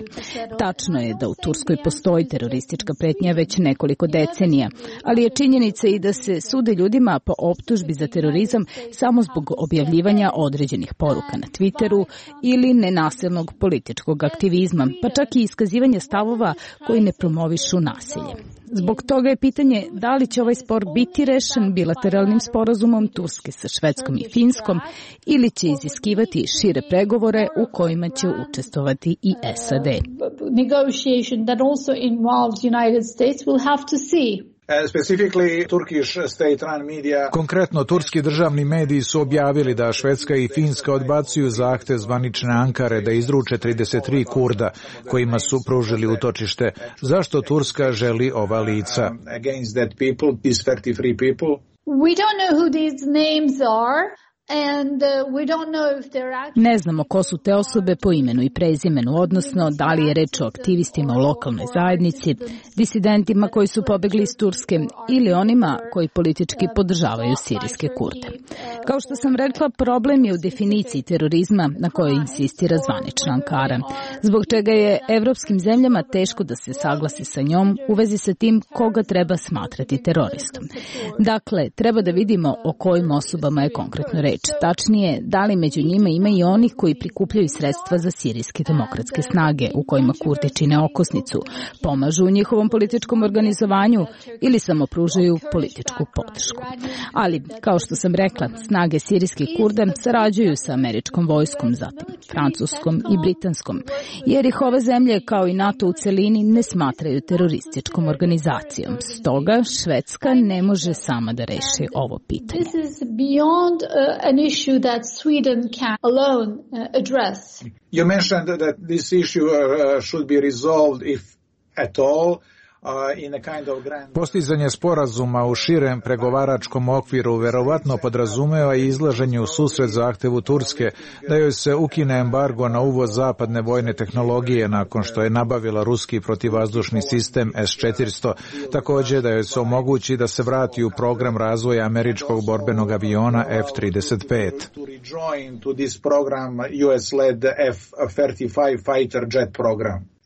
Tačno je da u Turskoj postoji teroristička pretnja već nekoliko decenija, ali je činjenica i da se sude ljudima po optužbi za terorizam samo zbog objavljivanja određenih poruka na Twitteru ili nenasilnog političkog aktivizma, pa čak i iskazivanje stavova koji ne promovišu nasilje. Zbog toga je pitanje da li će ovaj spor biti rešen bilateralnim sporazumom Turske sa Švedskom i Finskom ili će iziskivati šire pregovore u kojima će učestvovati i S A D. Negotiation that also involves United States will have to see. Konkretno, turski državni mediji su objavili da Švedska i Finska odbacuju zahtev zvanične Ankare da izruče trideset tri Kurda kojima su pružili utočište. Zašto Turska želi ova lica? We don't know who these names are. And, uh, we don't know if they're actually... Ne znamo ko su te osobe po imenu i prezimenu, odnosno da li je reč o aktivistima u lokalnoj zajednici, disidentima koji su pobegli iz Turske ili onima koji politički podržavaju sirijske Kurde. Kao što sam rekla, problem je u definiciji terorizma na kojoj insistira zvanična Ankara, zbog čega je evropskim zemljama teško da se saglasi sa njom u vezi sa tim koga treba smatrati teroristom. Dakle, treba da vidimo o kojim osobama je konkretno reč. tačnije, da li među njima ima i onih koji prikupljaju sredstva za sirijske demokratske snage, u kojima Kurdi čine okosnicu, pomažu u njihovom političkom organizovanju ili samo pružaju političku podršku. Ali, kao što sam rekla, snage sirijskih Kurda sarađuju sa američkom vojskom, zatim francuskom i britanskom, jer ih ove zemlje, kao i NATO u celini, ne smatraju terorističkom organizacijom. Stoga, Švedska ne može sama da reši ovo pitanje. This is beyond uh, an issue that Sweden can alone uh, address. You mentioned that this issue uh, should be resolved, if at all, Postizanje sporazuma u širem pregovaračkom okviru verovatno podrazumeva i izlaženje u susret zahtevu Turske da joj se ukine embargo na uvoz zapadne vojne tehnologije nakon što je nabavila ruski protivvazdušni sistem S četiristo, također da joj se omogući da se vrati u program razvoja američkog borbenog aviona F trideset pet.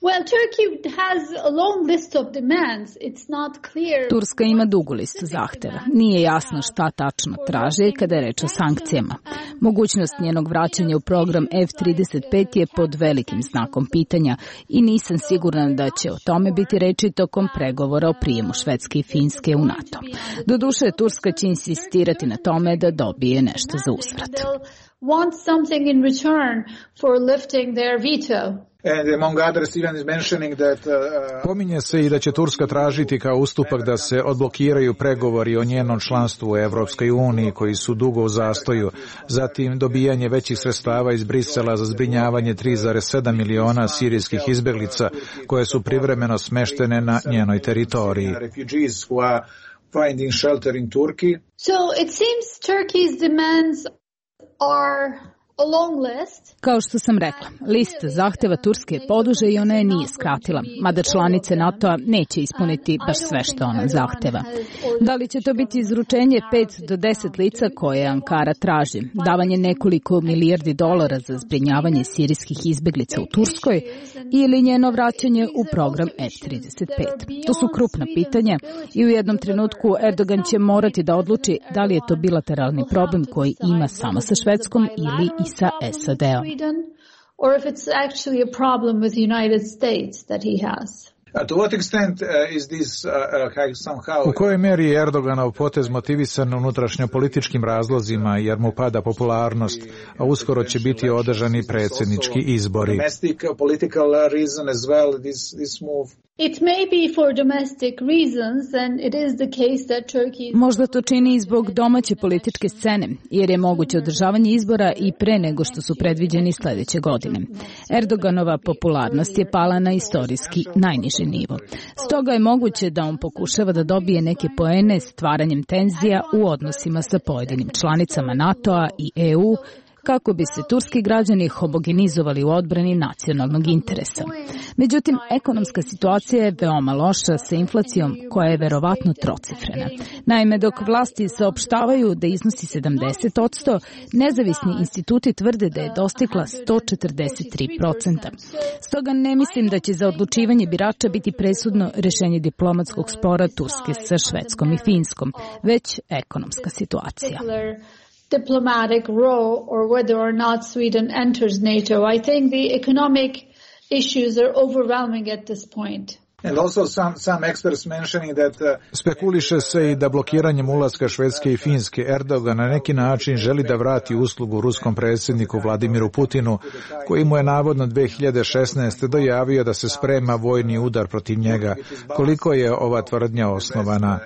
Well, Turkey has a long list of demands. It's not clear. Turska ima dugu listu zahteva. Nije jasno šta tačno traže kada je reč o sankcijama. Mogućnost njenog vraćanja u program F trideset pet je pod velikim znakom pitanja i nisam sigurna da će o tome biti reči tokom pregovora o prijemu Švedske i Finske u NATO. Doduše, Turska će insistirati na tome da dobije nešto za uzvrat. Want something in return for lifting their veto. Pominje se i da će Turska tražiti kao ustupak da se odblokiraju pregovori o njenom članstvu u Evropskoj uniji koji su dugo u zastoju, zatim dobijanje većih sredstava iz Brisela za zbrinjavanje tri zarez sedam miliona sirijskih izbeglica koje su privremeno smeštene na njenoj teritoriji. So it seems Turkey's demands are a long list. Kao što sam rekla, lista zahteva Turske je poduže i ona je nije skratila, mada članice NATO-a neće ispuniti baš sve što ona zahteva. Da li će to biti izručenje pet do deset lica koje Ankara traži, davanje nekoliko milijardi dolara za zbrinjavanje sirijskih izbeglica u Turskoj ili njeno vraćanje u program F trideset pet? To su krupna pitanja i u jednom trenutku Erdogan će morati da odluči da li je to bilateralni problem koji ima samo sa Švedskom ili i sa S A D-om. Or if it's actually a problem with the United States that he has. U kojoj meri je Erdoganov potez motivisan unutrašnjopolitičkim razlozima jer mu pada popularnost, a uskoro će biti održani predsjednički izbori? It may be for domestic reasons, and it is the case that Turkey... Možda to čini i zbog domaće političke scene, jer je moguće održavanje izbora i pre nego što su predviđeni sljedeće godine. Erdoganova popularnost je pala na istorijski najniži nivo. Stoga je moguće da on pokušava da dobije neke poene stvaranjem tenzija u odnosima sa pojedinim članicama NATO-a i E U, kako bi se turski građani homogenizovali u odbrani nacionalnog interesa. Međutim, ekonomska situacija je veoma loša sa inflacijom koja je verovatno trocifrena. Naime, dok vlasti saopštavaju da iznosi sedamdeset posto, nezavisni instituti tvrde da je dostigla sto četrdeset tri posto. Stoga ne mislim da će za odlučivanje birača biti presudno rešenje diplomatskog spora Turske sa Švedskom i Finskom, već ekonomska situacija. Diplomatic role or whether or not Sweden enters NATO. I think the economic issues are overwhelming at this point. And also some, some experts mentioning that, uh, spekuliše se i da blokiranjem ulaska Švedske i Finske Erdogan na neki način želi da vrati uslugu ruskom predsjedniku Vladimiru Putinu, koji mu je navodno dve hiljade šesnaeste. dojavio da se sprema vojni udar protiv njega. Koliko je ova tvrdnja osnovana?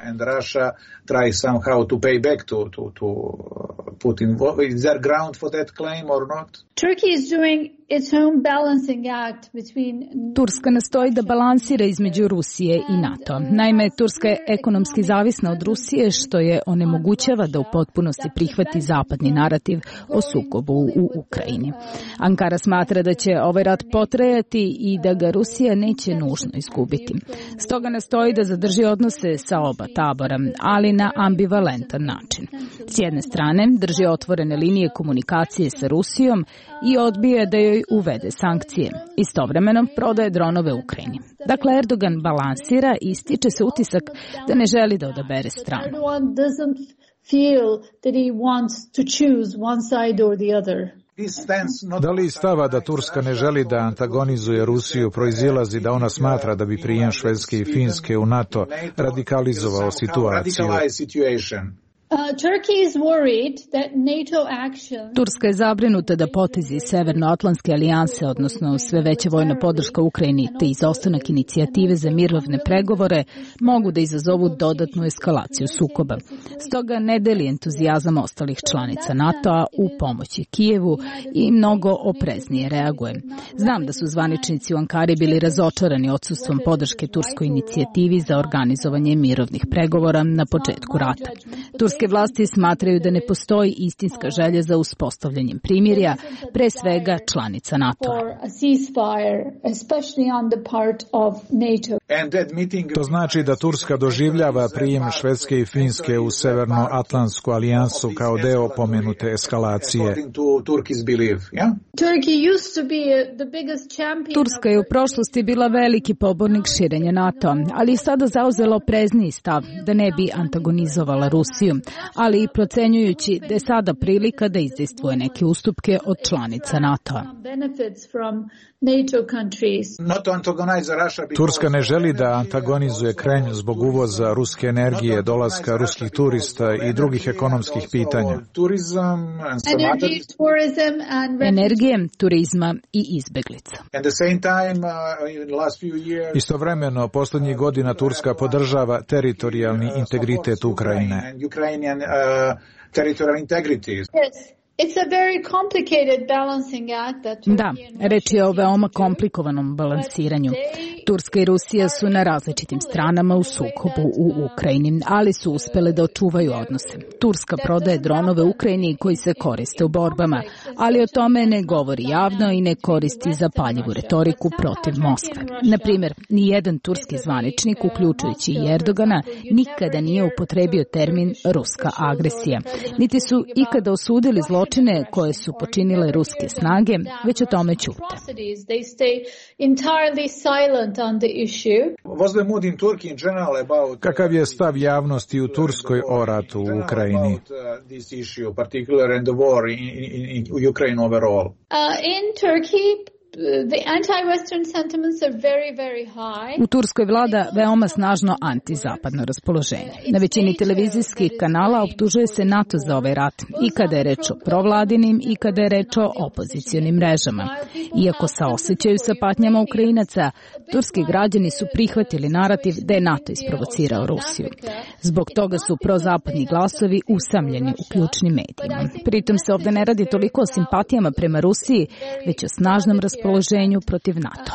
And Russia try somehow to pay back to, to, to Putin. Is there ground for that claim or not? Turkey is doing its own balancing act between... Turska nastoji da balansira između Rusije i NATO. Naime, Turska je ekonomski zavisna od Rusije, što je onemogućava da u potpunosti prihvati zapadni narativ o sukobu u Ukrajini. Ankara smatra da će ovaj rat potrajati i da ga Rusija neće nužno izgubiti. Stoga nastoji da zadrži odnose sa oba tabora, ali na ambivalentan način. S jedne strane, drži otvorene linije komunikacije sa Rusijom i odbije da joj uvede sankcije. Istovremeno prodaje dronove Ukrajini. Dakle, Erdogan balansira i stiče se utisak da ne želi da odabere stranu. feel that he wants to choose one side or the other. Da li stava da Turska ne želi da antagonizuje Rusiju proizilazi da ona smatra da bi prijem Švedske i Finske u NATO radikalizovao situaciju? Turska je zabrinuta da potezi Severnoatlantske alijanse, odnosno sve veća vojna podrška Ukrajini te izostanak inicijative za mirovne pregovore, mogu da izazovu dodatnu eskalaciju sukoba. Stoga ne deli entuzijazam ostalih članica NATO-a u pomoći Kijevu i mnogo opreznije reaguje. Znam da su zvaničnici u Ankari bili razočarani odsustvom podrške turskoj inicijativi za organizovanje mirovnih pregovora na početku rata. Turske vlasti smatraju da ne postoji istinska želja za uspostavljanjem primirja, pre svega članica NATO-a. To znači da Turska doživljava prijem Švedske i Finske u Severnoatlantsku alijansu kao deo pomenute eskalacije. Turska je u prošlosti bila veliki pobornik širenja NATO-a, ali je sada zauzela oprezniji stav da ne bi antagonizovala Rusiju, ali i procenjujući da je sada prilika da izdejstvuje neke ustupke od članica NATO-a. Turska ne želi da antagonizuje Kremlj zbog uvoza ruske energije, dolaska ruskih turista i drugih ekonomskih pitanja. Energije, turizma i izbeglica. Istovremeno, posljednjih godina Turska podržava teritorijalni integritet Ukrajine. Da, reč je o veoma komplikovanom balansiranju. Turska i Rusija su na različitim stranama u sukobu u Ukrajini, ali su uspele da očuvaju odnose. Turska prodaje dronove Ukrajini koji se koriste u borbama, ali o tome ne govori javno i ne koristi zapaljivu retoriku protiv Moskve. Na primjer, nijedan turski zvaničnik, uključujući i Erdogana, nikada nije upotrebio termin ruska agresija, niti su ikada osudili zločine koje su počinile ruske snage, već o tome ćute. Kakav je stav javnosti u Turskoj o ratu u Ukrajini? U Turskoj vlada veoma snažno antizapadno raspoloženje. Na većini televizijskih kanala optužuje se NATO za ovaj rat, i kada je reč o provladinim i kada je reč o opozicionim mrežama. Iako saosećaju sa patnjama Ukrajinaca, turski građani su prihvatili narativ da je NATO isprovocirao Rusiju. Zbog toga su prozapadni glasovi usamljeni u ključnim medijima. Pritom se ovde ne radi toliko o simpatijama prema Rusiji, već o snažnom raspoloženju raspoloženju protiv NATO.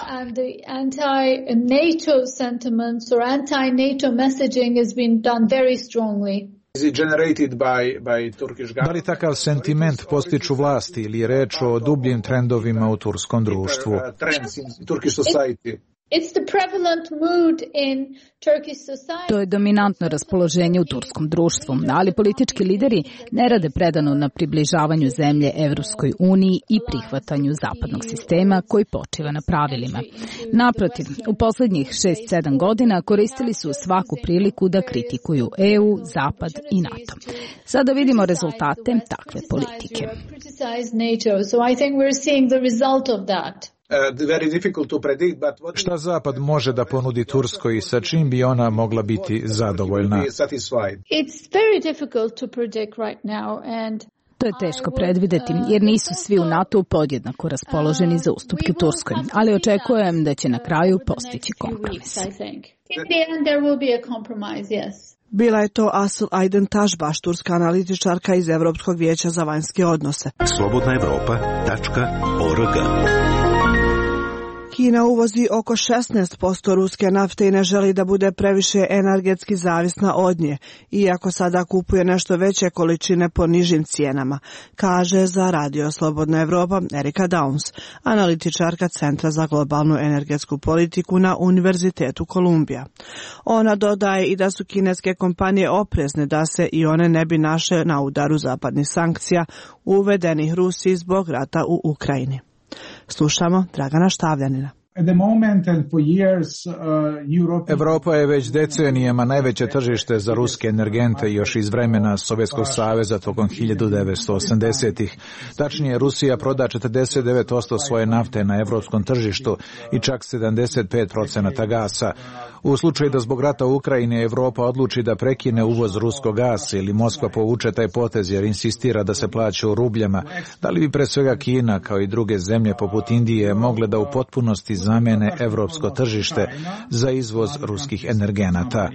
Da li takav sentiment postiču vlasti ili je reč o dubljim trendovima u turskom društvu? To je dominantno raspoloženje u turskom društvu, ali politički lideri ne rade predano na približavanju zemlje Evropskoj uniji i prihvatanju zapadnog sistema koji počiva na pravilima. Naprotiv, u poslednjih šest sedam godina koristili su svaku priliku da kritikuju E U, Zapad i NATO. Sada vidimo rezultate takve politike. Šta Zapad može da ponudi Turskoj i sa čim bi ona mogla biti zadovoljna? To je teško predvideti, jer nisu svi u NATO podjednako raspoloženi za ustupke Turskoj, ali očekujem da će na kraju postići kompromis. Bila je to Asıl Aydın Taşbaş, turska analitičarka iz Evropskog vijeća za vanjske odnose. slobodna evropa tačka org. Kina uvozi oko šesnaest posto ruske nafte i ne želi da bude previše energetski zavisna od nje, iako sada kupuje nešto veće količine po nižim cijenama, kaže za Radio Slobodna Evropa Erika Downs, analitičarka Centra za globalnu energetsku politiku na Univerzitetu Kolumbija. Ona dodaje i da su kineske kompanije oprezne da se i one ne bi našle na udaru zapadnih sankcija uvedenih Rusiji zbog rata u Ukrajini. Slušamo Dragana Štavljanina. Evropa je već decenijama najveće tržište za ruske energente još iz vremena Sovjetskog saveza tokom hiljadu devetsto osamdesetih. Tačnije, Rusija proda četrdeset devet posto svoje nafte na evropskom tržištu i čak sedamdeset pet procenata gasa. U slučaju da zbog rata u Ukrajini Evropa odluči da prekine uvoz ruskog gasa ili Moskva povuče taj potez jer insistira da se plaća u rubljama, da li bi pre svega Kina kao i druge zemlje poput Indije mogle da u potpunosti zamene evropsko tržište za izvoz ruskih energenata?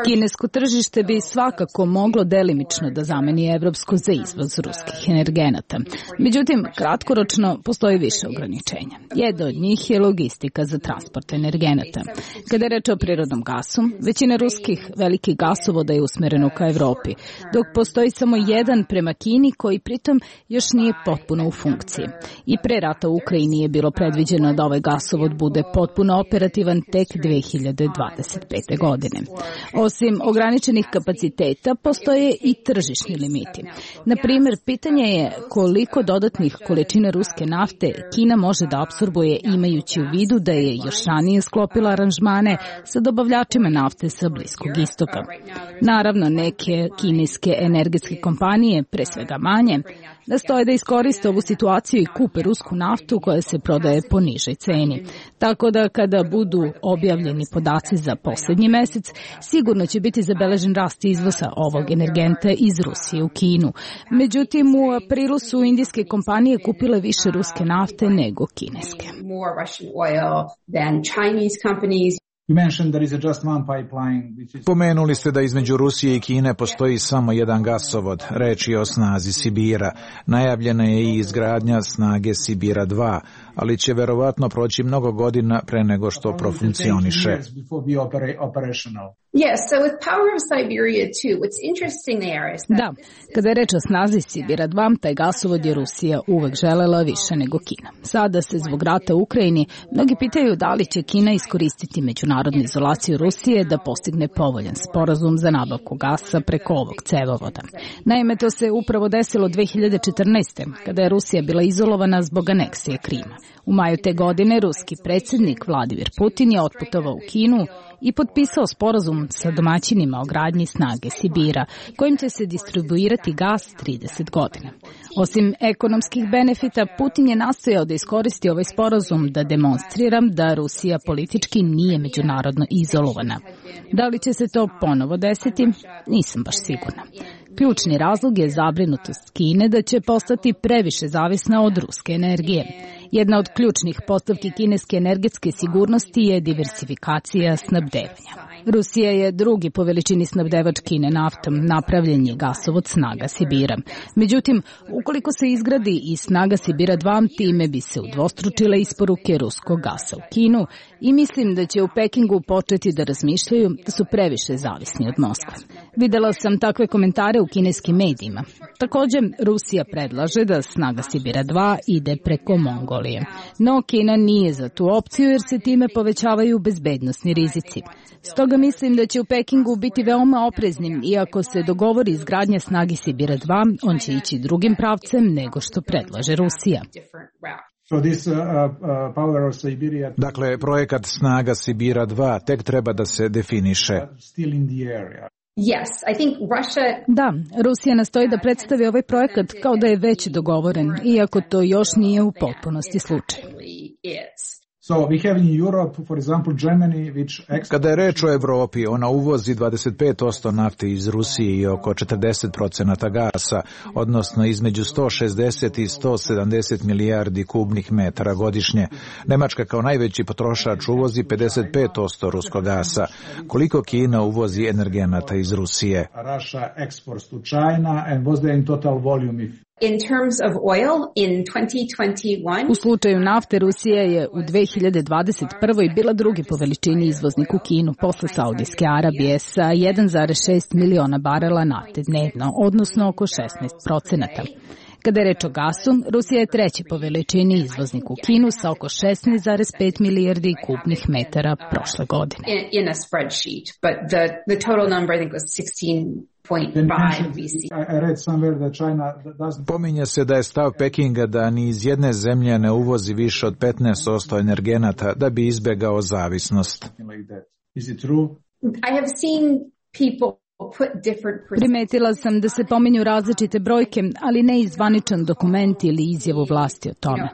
Kinesko tržište bi svakako moglo delimično da zameni evropsko za izvoz ruskih energenata. Međutim, kratkoročno postoji više ograničenja. Jedno od njih je logistika za transport energenata. Kada je reč o prirodnom gasu, većina ruskih velikih gasovoda je usmereno ka Evropi, dok postoji samo jedan prema Kini koji pritom još nije potpuno u funkciji. I pre rata u Ukrajini je bilo predviđeno da ovaj gasovod bude potpuno operativan tek dve hiljade dvadeset pete. godine. Osim ograničenih kapaciteta, postoje i tržišni limiti. Na primjer, pitanje je koliko dodatnih količina ruske nafte Kina može da apsorbuje imajući u vidu da je još ranije sklopila aranžmane sa dobavljačima nafte sa Bliskog istoka. Naravno, neke kineske energetske kompanije, pre svega manje, nastoje da iskoriste ovu situaciju i kupe rusku naftu koja se prodaje po nižoj ceni. Tako da kada budu objavljeni podaci za posljednji mesec, sigurno će biti zabeležen rast izvoza ovog energenta iz Rusije u Kinu. Međutim, u aprilu su indijske kompanije kupile više ruske nafte nego kineske. Pomenuli ste da između Rusije i Kine postoji samo jedan gasovod, reč je o snazi Sibira. Najavljena je i izgradnja snage Sibira dva, ali će verovatno proći mnogo godina pre nego što profunkcioniše. Da, kada je reč o snazi Sibira dva, taj gasovod je Rusija uvek želela više nego Kina. Sada se zbog rata u Ukrajini mnogi pitaju da li će Kina iskoristiti međunarodnu izolaciju Rusije da postigne povoljan sporazum za nabavku gasa preko ovog cevovoda. Naime, to se upravo desilo dve hiljade četrnaeste. kada je Rusija bila izolovana zbog aneksije Krima. U maju te godine ruski predsjednik Vladimir Putin je otputovao u Kinu i potpisao sporazum sa domaćinima o gradnji snage Sibira, kojim će se distribuirati gas trideset godina. Osim ekonomskih benefita, Putin je nastojao da iskoristi ovaj sporazum da demonstriram da Rusija politički nije međunarodno izolovana. Da li će se to ponovo desiti? Nisam baš sigurna. Ključni razlog je zabrinutost Kine da će postati previše zavisna od ruske energije. Jedna od ključnih postavki kineske energetske sigurnosti je diversifikacija snabdevanja. Rusija je drugi po veličini snabdevač Kine naftom, napravljen je gasovod snaga Sibira. Međutim, ukoliko se izgradi i snaga Sibira dva, time bi se udvostručile isporuke ruskog gasa u Kinu i mislim da će u Pekingu početi da razmišljaju da su previše zavisni od Moskve. Videla sam takve komentare u kineskim medijima. Također, Rusija predlaže da snaga Sibira dva ide preko Mongolije. No, Kina nije za tu opciju jer se time povećavaju bezbednosni rizici. Stoga mislim da će u Pekingu biti veoma opreznim i ako se dogovori izgradnja snagi Sibira dva, on će ići drugim pravcem nego što predlaže Rusija. Dakle, projekat snaga Sibira dva tek treba da se definiše. Yes, I think Russia... Da, Rusija nastoji da predstavi ovaj projekat kao da je već dogovoren, iako to još nije u potpunosti slučaj. Kada je reč o Evropi, ona uvozi dvadeset pet posto nafte iz Rusije i oko četrdeset procenata gasa, odnosno između sto šezdeset i sto sedamdeset milijardi kubnih metara godišnje. Nemačka kao najveći potrošač uvozi pedeset pet posto ruskog gasa. Koliko Kina uvozi energenata iz Rusije? In terms of oil, in twenty twenty-one... U slučaju nafte, Rusija je u dve hiljade dvadeset prvoj bila drugi po veličini izvoznik u Kinu posle Saudijske Arabije sa jedan zarez šest miliona barela nafte dnevno, odnosno oko šesnaest procenata. Kada je reč o gasu, Rusija je treći po veličini izvoznik u Kinu sa oko šesnaest zarez pet milijardi kubnih metara prošle godine. In, in a spreadsheet, but the, the total number I think was sixteen point five B C. Pominje se da je stav Pekinga da ni iz jedne zemlje ne uvozi više od petnaest posto energenata da bi izbegao zavisnost. I have seen people Primetila sam da se pominju različite brojke, ali ne i zvaničan dokument ili izjavu vlasti o tome.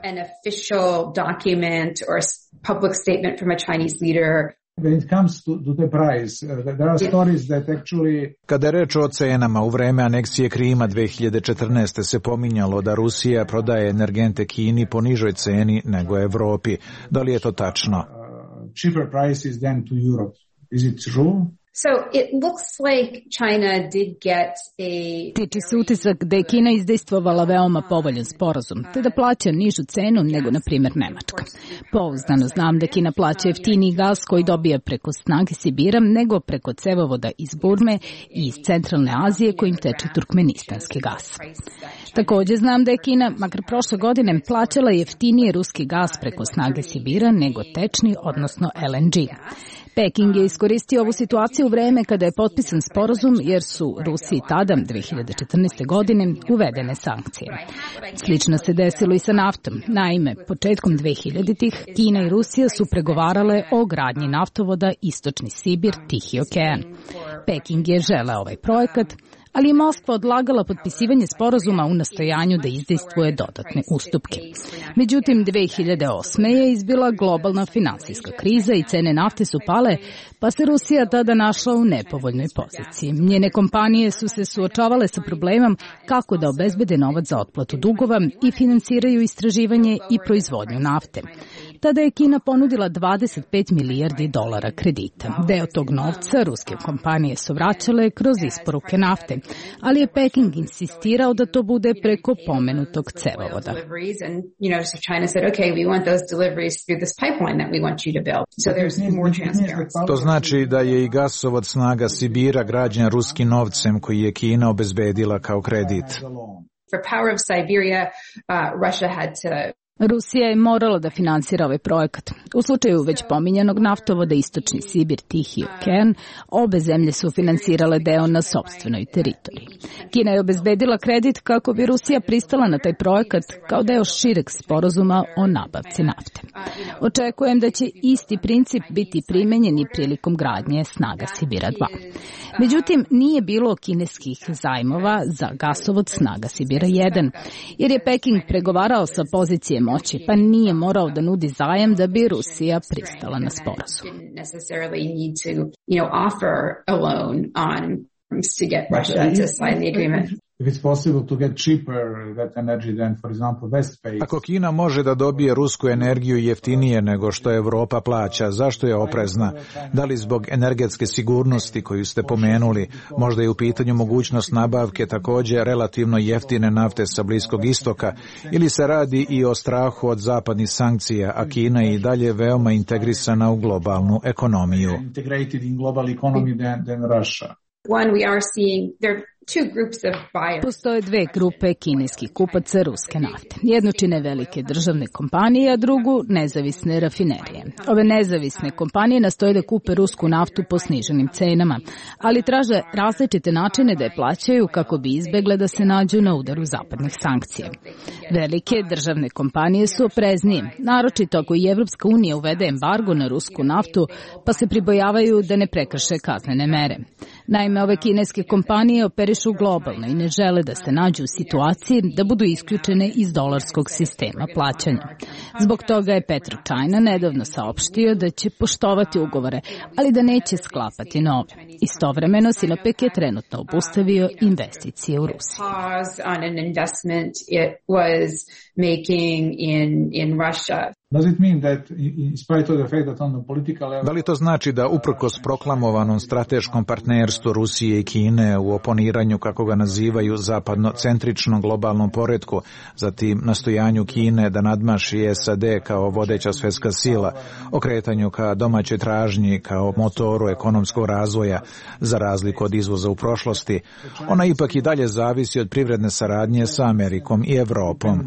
Kada je reč o cenama, u vreme aneksije Krima dve hiljade četrnaeste. se pominjalo da Rusija prodaje energente Kini po nižoj ceni nego Evropi. Da li je to tačno? Cheaper prices than to Europe. Is it true? So it looks like China did get a... Tiče se utisak da je Kina izdejstvovala veoma povoljan sporazum, te da plaća nižu cenu nego, na primjer, Nemačka. Pouzdano znam da Kina plaća jeftiniji gas koji dobija preko snage Sibira nego preko cevovoda iz Burme i iz centralne Azije kojim teče turkmenistanski gas. Također znam da je Kina, makar prošle godine, plaćala jeftinije ruski gas preko snage Sibira nego tečni, odnosno L N G. Peking je iskoristio ovu situaciju u vreme kada je potpisan sporazum jer su Rusiji tada, dve hiljade četrnaeste. godine, uvedene sankcije. Slično se desilo i sa naftom. Naime, početkom dve hiljaditih. Kina i Rusija su pregovarale o gradnji naftovoda Istočni Sibir, Tihi okean. Peking je želeo ovaj projekat, ali je Moskva odlagala potpisivanje sporazuma u nastojanju da izdejstvuje dodatne ustupke. Međutim, dve hiljade osme. je izbila globalna finansijska kriza i cene nafte su pale, pa se Rusija tada našla u nepovoljnoj poziciji. Njene kompanije su se suočavale sa problemom kako da obezbede novac za otplatu dugova i finansiraju istraživanje i proizvodnju nafte. Tada je Kina ponudila dvadeset pet milijardi dolara kredita. Deo tog novca ruske kompanije su vraćale kroz isporuke nafte, ali je Peking insistirao da to bude preko pomenutog cevovoda. To znači da je i gasovod snaga Sibira građen ruskim novcem koji je Kina obezbedila kao kredit. For power of Siberia, uh, Russia had to Rusija je morala da finansira ovaj projekat. U slučaju već pominjanog naftovoda Istočni Sibir, Tihi okean, obe zemlje su finansirale deo na sopstvenoj teritoriji. Kina je obezbedila kredit kako bi Rusija pristala na taj projekat kao deo šireg sporazuma o nabavci nafte. Očekujem da će isti princip biti primenjen i prilikom gradnje snaga Sibira dva. Međutim, nije bilo kineskih zajmova za gasovod snaga Sibira jedan, jer je Peking pregovarao sa pozicije moći, pa nije morao da nudi zajam da bi Rusija pristala na sporazum. Ako Kina može da dobije rusku energiju jeftinije nego što Evropa plaća, zašto je oprezna? Da li zbog energetske sigurnosti koju ste pomenuli, možda je u pitanju mogućnost nabavke također relativno jeftine nafte sa Bliskog istoka, ili se radi i o strahu od zapadnih sankcija, a Kina je i dalje veoma integrisana u globalnu ekonomiju? One, we are seeing there two groups of buyers. Postoje dve grupe kineskih kupaca ruske nafte. Jednu čine velike državne kompanije, a drugu nezavisne rafinerije. Ove nezavisne kompanije nastoje da kupe rusku naftu po sniženim cenama, ali traže različite načine da je plaćaju kako bi izbegle da se nađu na udaru zapadnih sankcija. Velike državne kompanije su opreznije, naročito ako i Evropska unija uvede embargo na rusku naftu, pa se pribojavaju da ne prekrše kaznene mere. Naime, ove kineske kompanije operišu globalno i ne žele da se nađu u situaciji da budu isključene iz dolarskog sistema plaćanja. Zbog toga je PetroChina nedavno saopštio da će poštovati ugovore, ali da neće sklapati nove. Istovremeno, Sinopec je trenutno obustavio investicije u Rusiji. Da li to znači da uprkos proklamovanom strateškom partnerstvu Rusije i Kine u oponiranju, kako ga nazivaju, zapadnocentričnom globalnom poretku, zatim nastojanju Kine da nadmaši S A D kao vodeća svjetska sila, okretanju ka domaćoj tražnji kao motoru ekonomskog razvoja, za razliku od izvoza u prošlosti, ona ipak i dalje zavisi od privredne saradnje sa Amerikom i Evropom.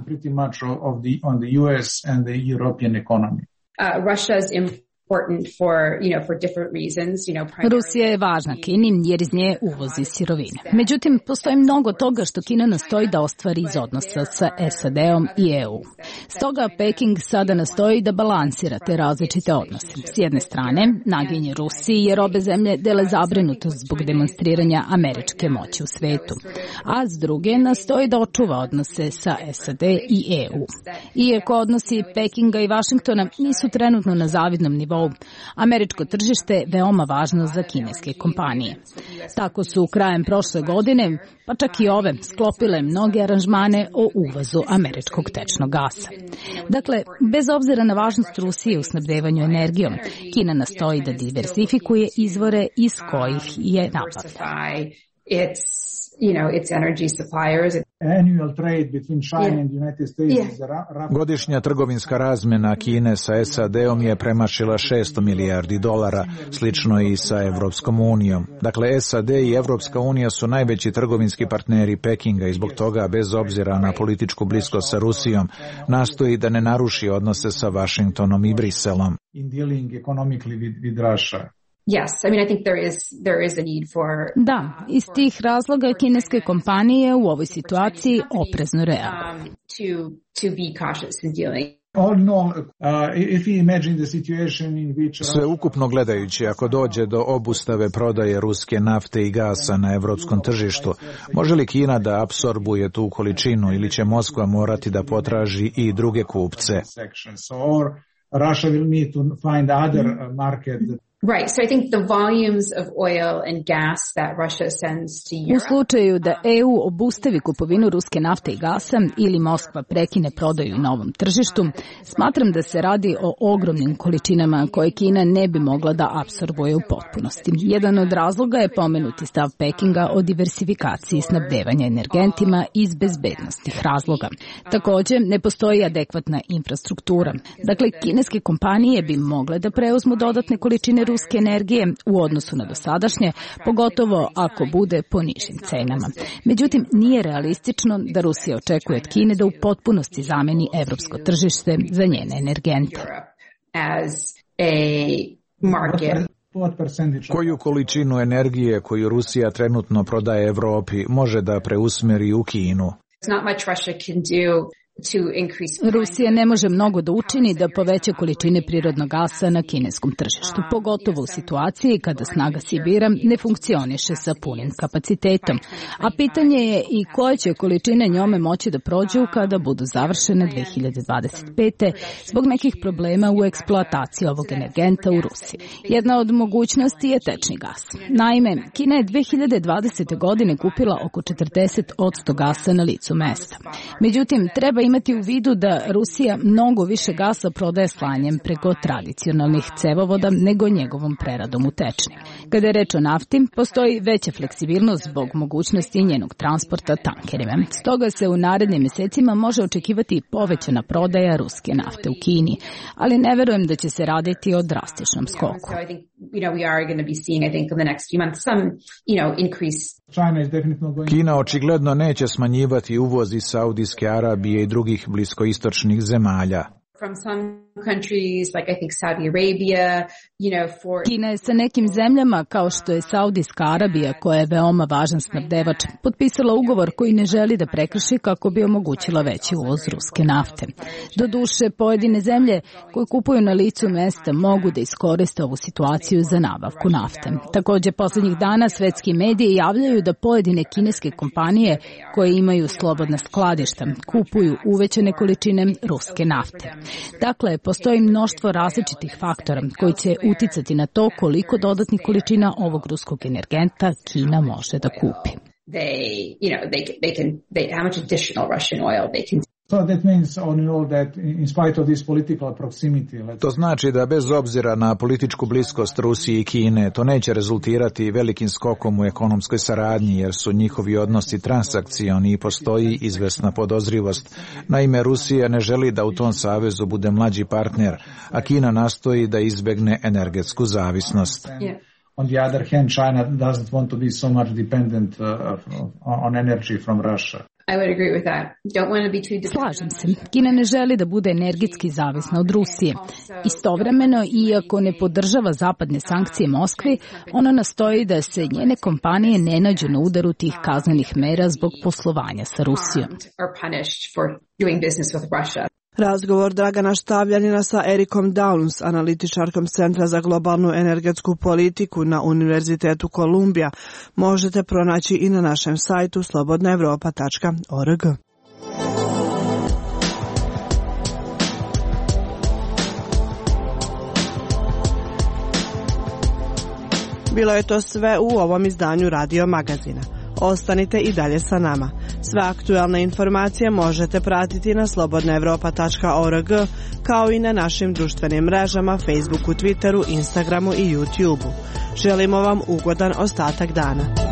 Uh, Russia's important for, you know, for different reasons, you know, primarily... Rusija je važna Kini jer iz nje uvozi sirovine. Međutim, postoji mnogo toga što Kina nastoji da ostvari iz odnosa sa S A D-om i E U. Stoga Peking sada nastoji da balansira te različite odnose. S jedne strane, naginje Rusiji jer obe zemlje dele zabrinutost zbog demonstriranja američke moći u svetu, a s druge nastoji da očuva odnose sa S A D i E U. Iako odnosi Pekinga i Vašingtona nisu trenutno na zavidnom nivou, američko tržište je veoma važno za kineske kompanije. Tako su krajem prošle godine, pa čak i ove, sklopile mnoge aranžmane o uvozu američkog tečnog gasa. Dakle, bez obzira na važnost Rusije u snabdevanju energijom, Kina nastoji da diversifikuje izvore iz kojih je nabavlja. You know, its energy suppliers. Annual trade between China and the United States is around... Godišnja trgovinska razmjena Kine sa S A D-om je premašila šesto milijardi dolara, slično i sa Evropskom unijom. Dakle, S A D i Evropska unija su najveći trgovinski partneri Pekinga i zbog toga, bez obzira na političku bliskost sa Rusijom, nastoji da ne naruši odnose sa Vašingtonom i Briselom. In dealing economically with, with Russia. Yes, I mean I think there is there is a need for... Da, iz tih razloga kineske kompanije u ovoj situaciji oprezno reaguju. Um, to to be cautious in dealing. Sveukupno gledajući, ako dođe do obustave prodaje ruske nafte i gasa na evropskom tržištu, može li Kina da apsorbuje tu količinu ili će Moskva morati da potraži i druge kupce? Russia will need to find other market. Right, so I think the volumes of oil and gas that Russia sends to Europe. U slučaju da E U obustavi kupovinu ruske nafte i gasa ili Moskva prekine prodaju na ovom tržištu, smatram da se radi o ogromnim količinama koje Kina ne bi mogla da apsorbuje u potpunosti. Jedan od razloga je pomenuti stav Pekinga o diversifikaciji snabdevanja energentima iz bezbednostnih razloga. Također, ne postoji adekvatna infrastruktura. Dakle, kineske kompanije bi mogle da preuzmu dodatne količine ruske energije u odnosu na dosadašnje, pogotovo ako bude po nižim cenama. Međutim, nije realistično da Rusija očekuje od Kine da u potpunosti zameni evropsko tržište za njene energente. Koju količinu energije koju Rusija trenutno prodaje Evropi može da preusmeri u Kinu? Rusija ne može mnogo da učini da poveća količine prirodnog gasa na kineskom tržištu, pogotovo u situaciji kada snaga Sibira ne funkcioniše sa punim kapacitetom. A pitanje je i koje će količine njome moći da prođu kada budu završene dve hiljade dvadeset pete zbog nekih problema u eksploataciji ovog energenta u Rusiji. Jedna od mogućnosti je tečni gas. Naime, Kina je dve hiljade dvadesete godine kupila oko četrdeset posto gasa na licu mesta. Međutim, treba imati u vidu da Rusija mnogo više gasa prodaje slanjem preko tradicionalnih cevovoda nego njegovom preradom u tečni. Kada je reč o nafti, postoji veća fleksibilnost zbog mogućnosti njenog transporta tankerima. Stoga se u narednim mjesecima može očekivati povećana prodaja ruske nafte u Kini, ali ne verujem da će se raditi o drastičnom skoku. Kina očigledno neće smanjivati uvoz iz Saudijske Arabije i drugih bliskoistočnih zemalja. From some countries, like I think Saudi Arabia, you know, for... Kina je sa nekim zemljama, kao što je Saudijska Arabija, koja je veoma važan snabdevač, potpisala ugovor koji ne želi da prekrši kako bi omogućila veći uvoz ruske nafte. Doduše, pojedine zemlje koje kupuju na licu mesta mogu da iskoriste ovu situaciju za nabavku nafte. Također, posljednjih dana svetski mediji javljaju da pojedine kineske kompanije koje imaju slobodna skladišta kupuju uvećane količine ruske nafte. Dakle, postoji mnoštvo različitih faktora koji će uticati na to koliko dodatnih količina ovog ruskog energenta Kina može da kupi. They, you know, they, they can, they, how much additional Russian oil they can To znači da bez obzira na političku bliskost Rusije i Kine, to neće rezultirati velikim skokom u ekonomskoj saradnji, jer su njihovi odnosi transakcioni i postoji izvesna podozrivost. Naime, Rusija ne želi da u tom savezu bude mlađi partner, a Kina nastoji da izbegne energetsku zavisnost. Yeah. On the other hand, China doesn't want to be so much dependent uh, on energy from Russia. I would agree with that. Don't want to be too dependent. Slažem se. Kina ne želi da bude energetski zavisna od Rusije. Istovremeno, iako ne podržava zapadne sankcije Moskvi, ona nastoji da se njene kompanije ne nađu na udaru tih kaznenih mera zbog poslovanja sa Rusijom. Razgovor Dragana Štavljanina sa Erikom Downs, analitičarkom Centra za globalnu energetsku politiku na Univerzitetu Kolumbija, možete pronaći i na našem sajtu slobodna evropa tačka org. Bilo je to sve u ovom izdanju Radio Magazina. Ostanite i dalje sa nama. Sve aktualne informacije možete pratiti na slobodna evropa tačka org, kao i na našim društvenim mrežama Facebooku, Twitteru, Instagramu i YouTubeu. Želimo vam ugodan ostatak dana.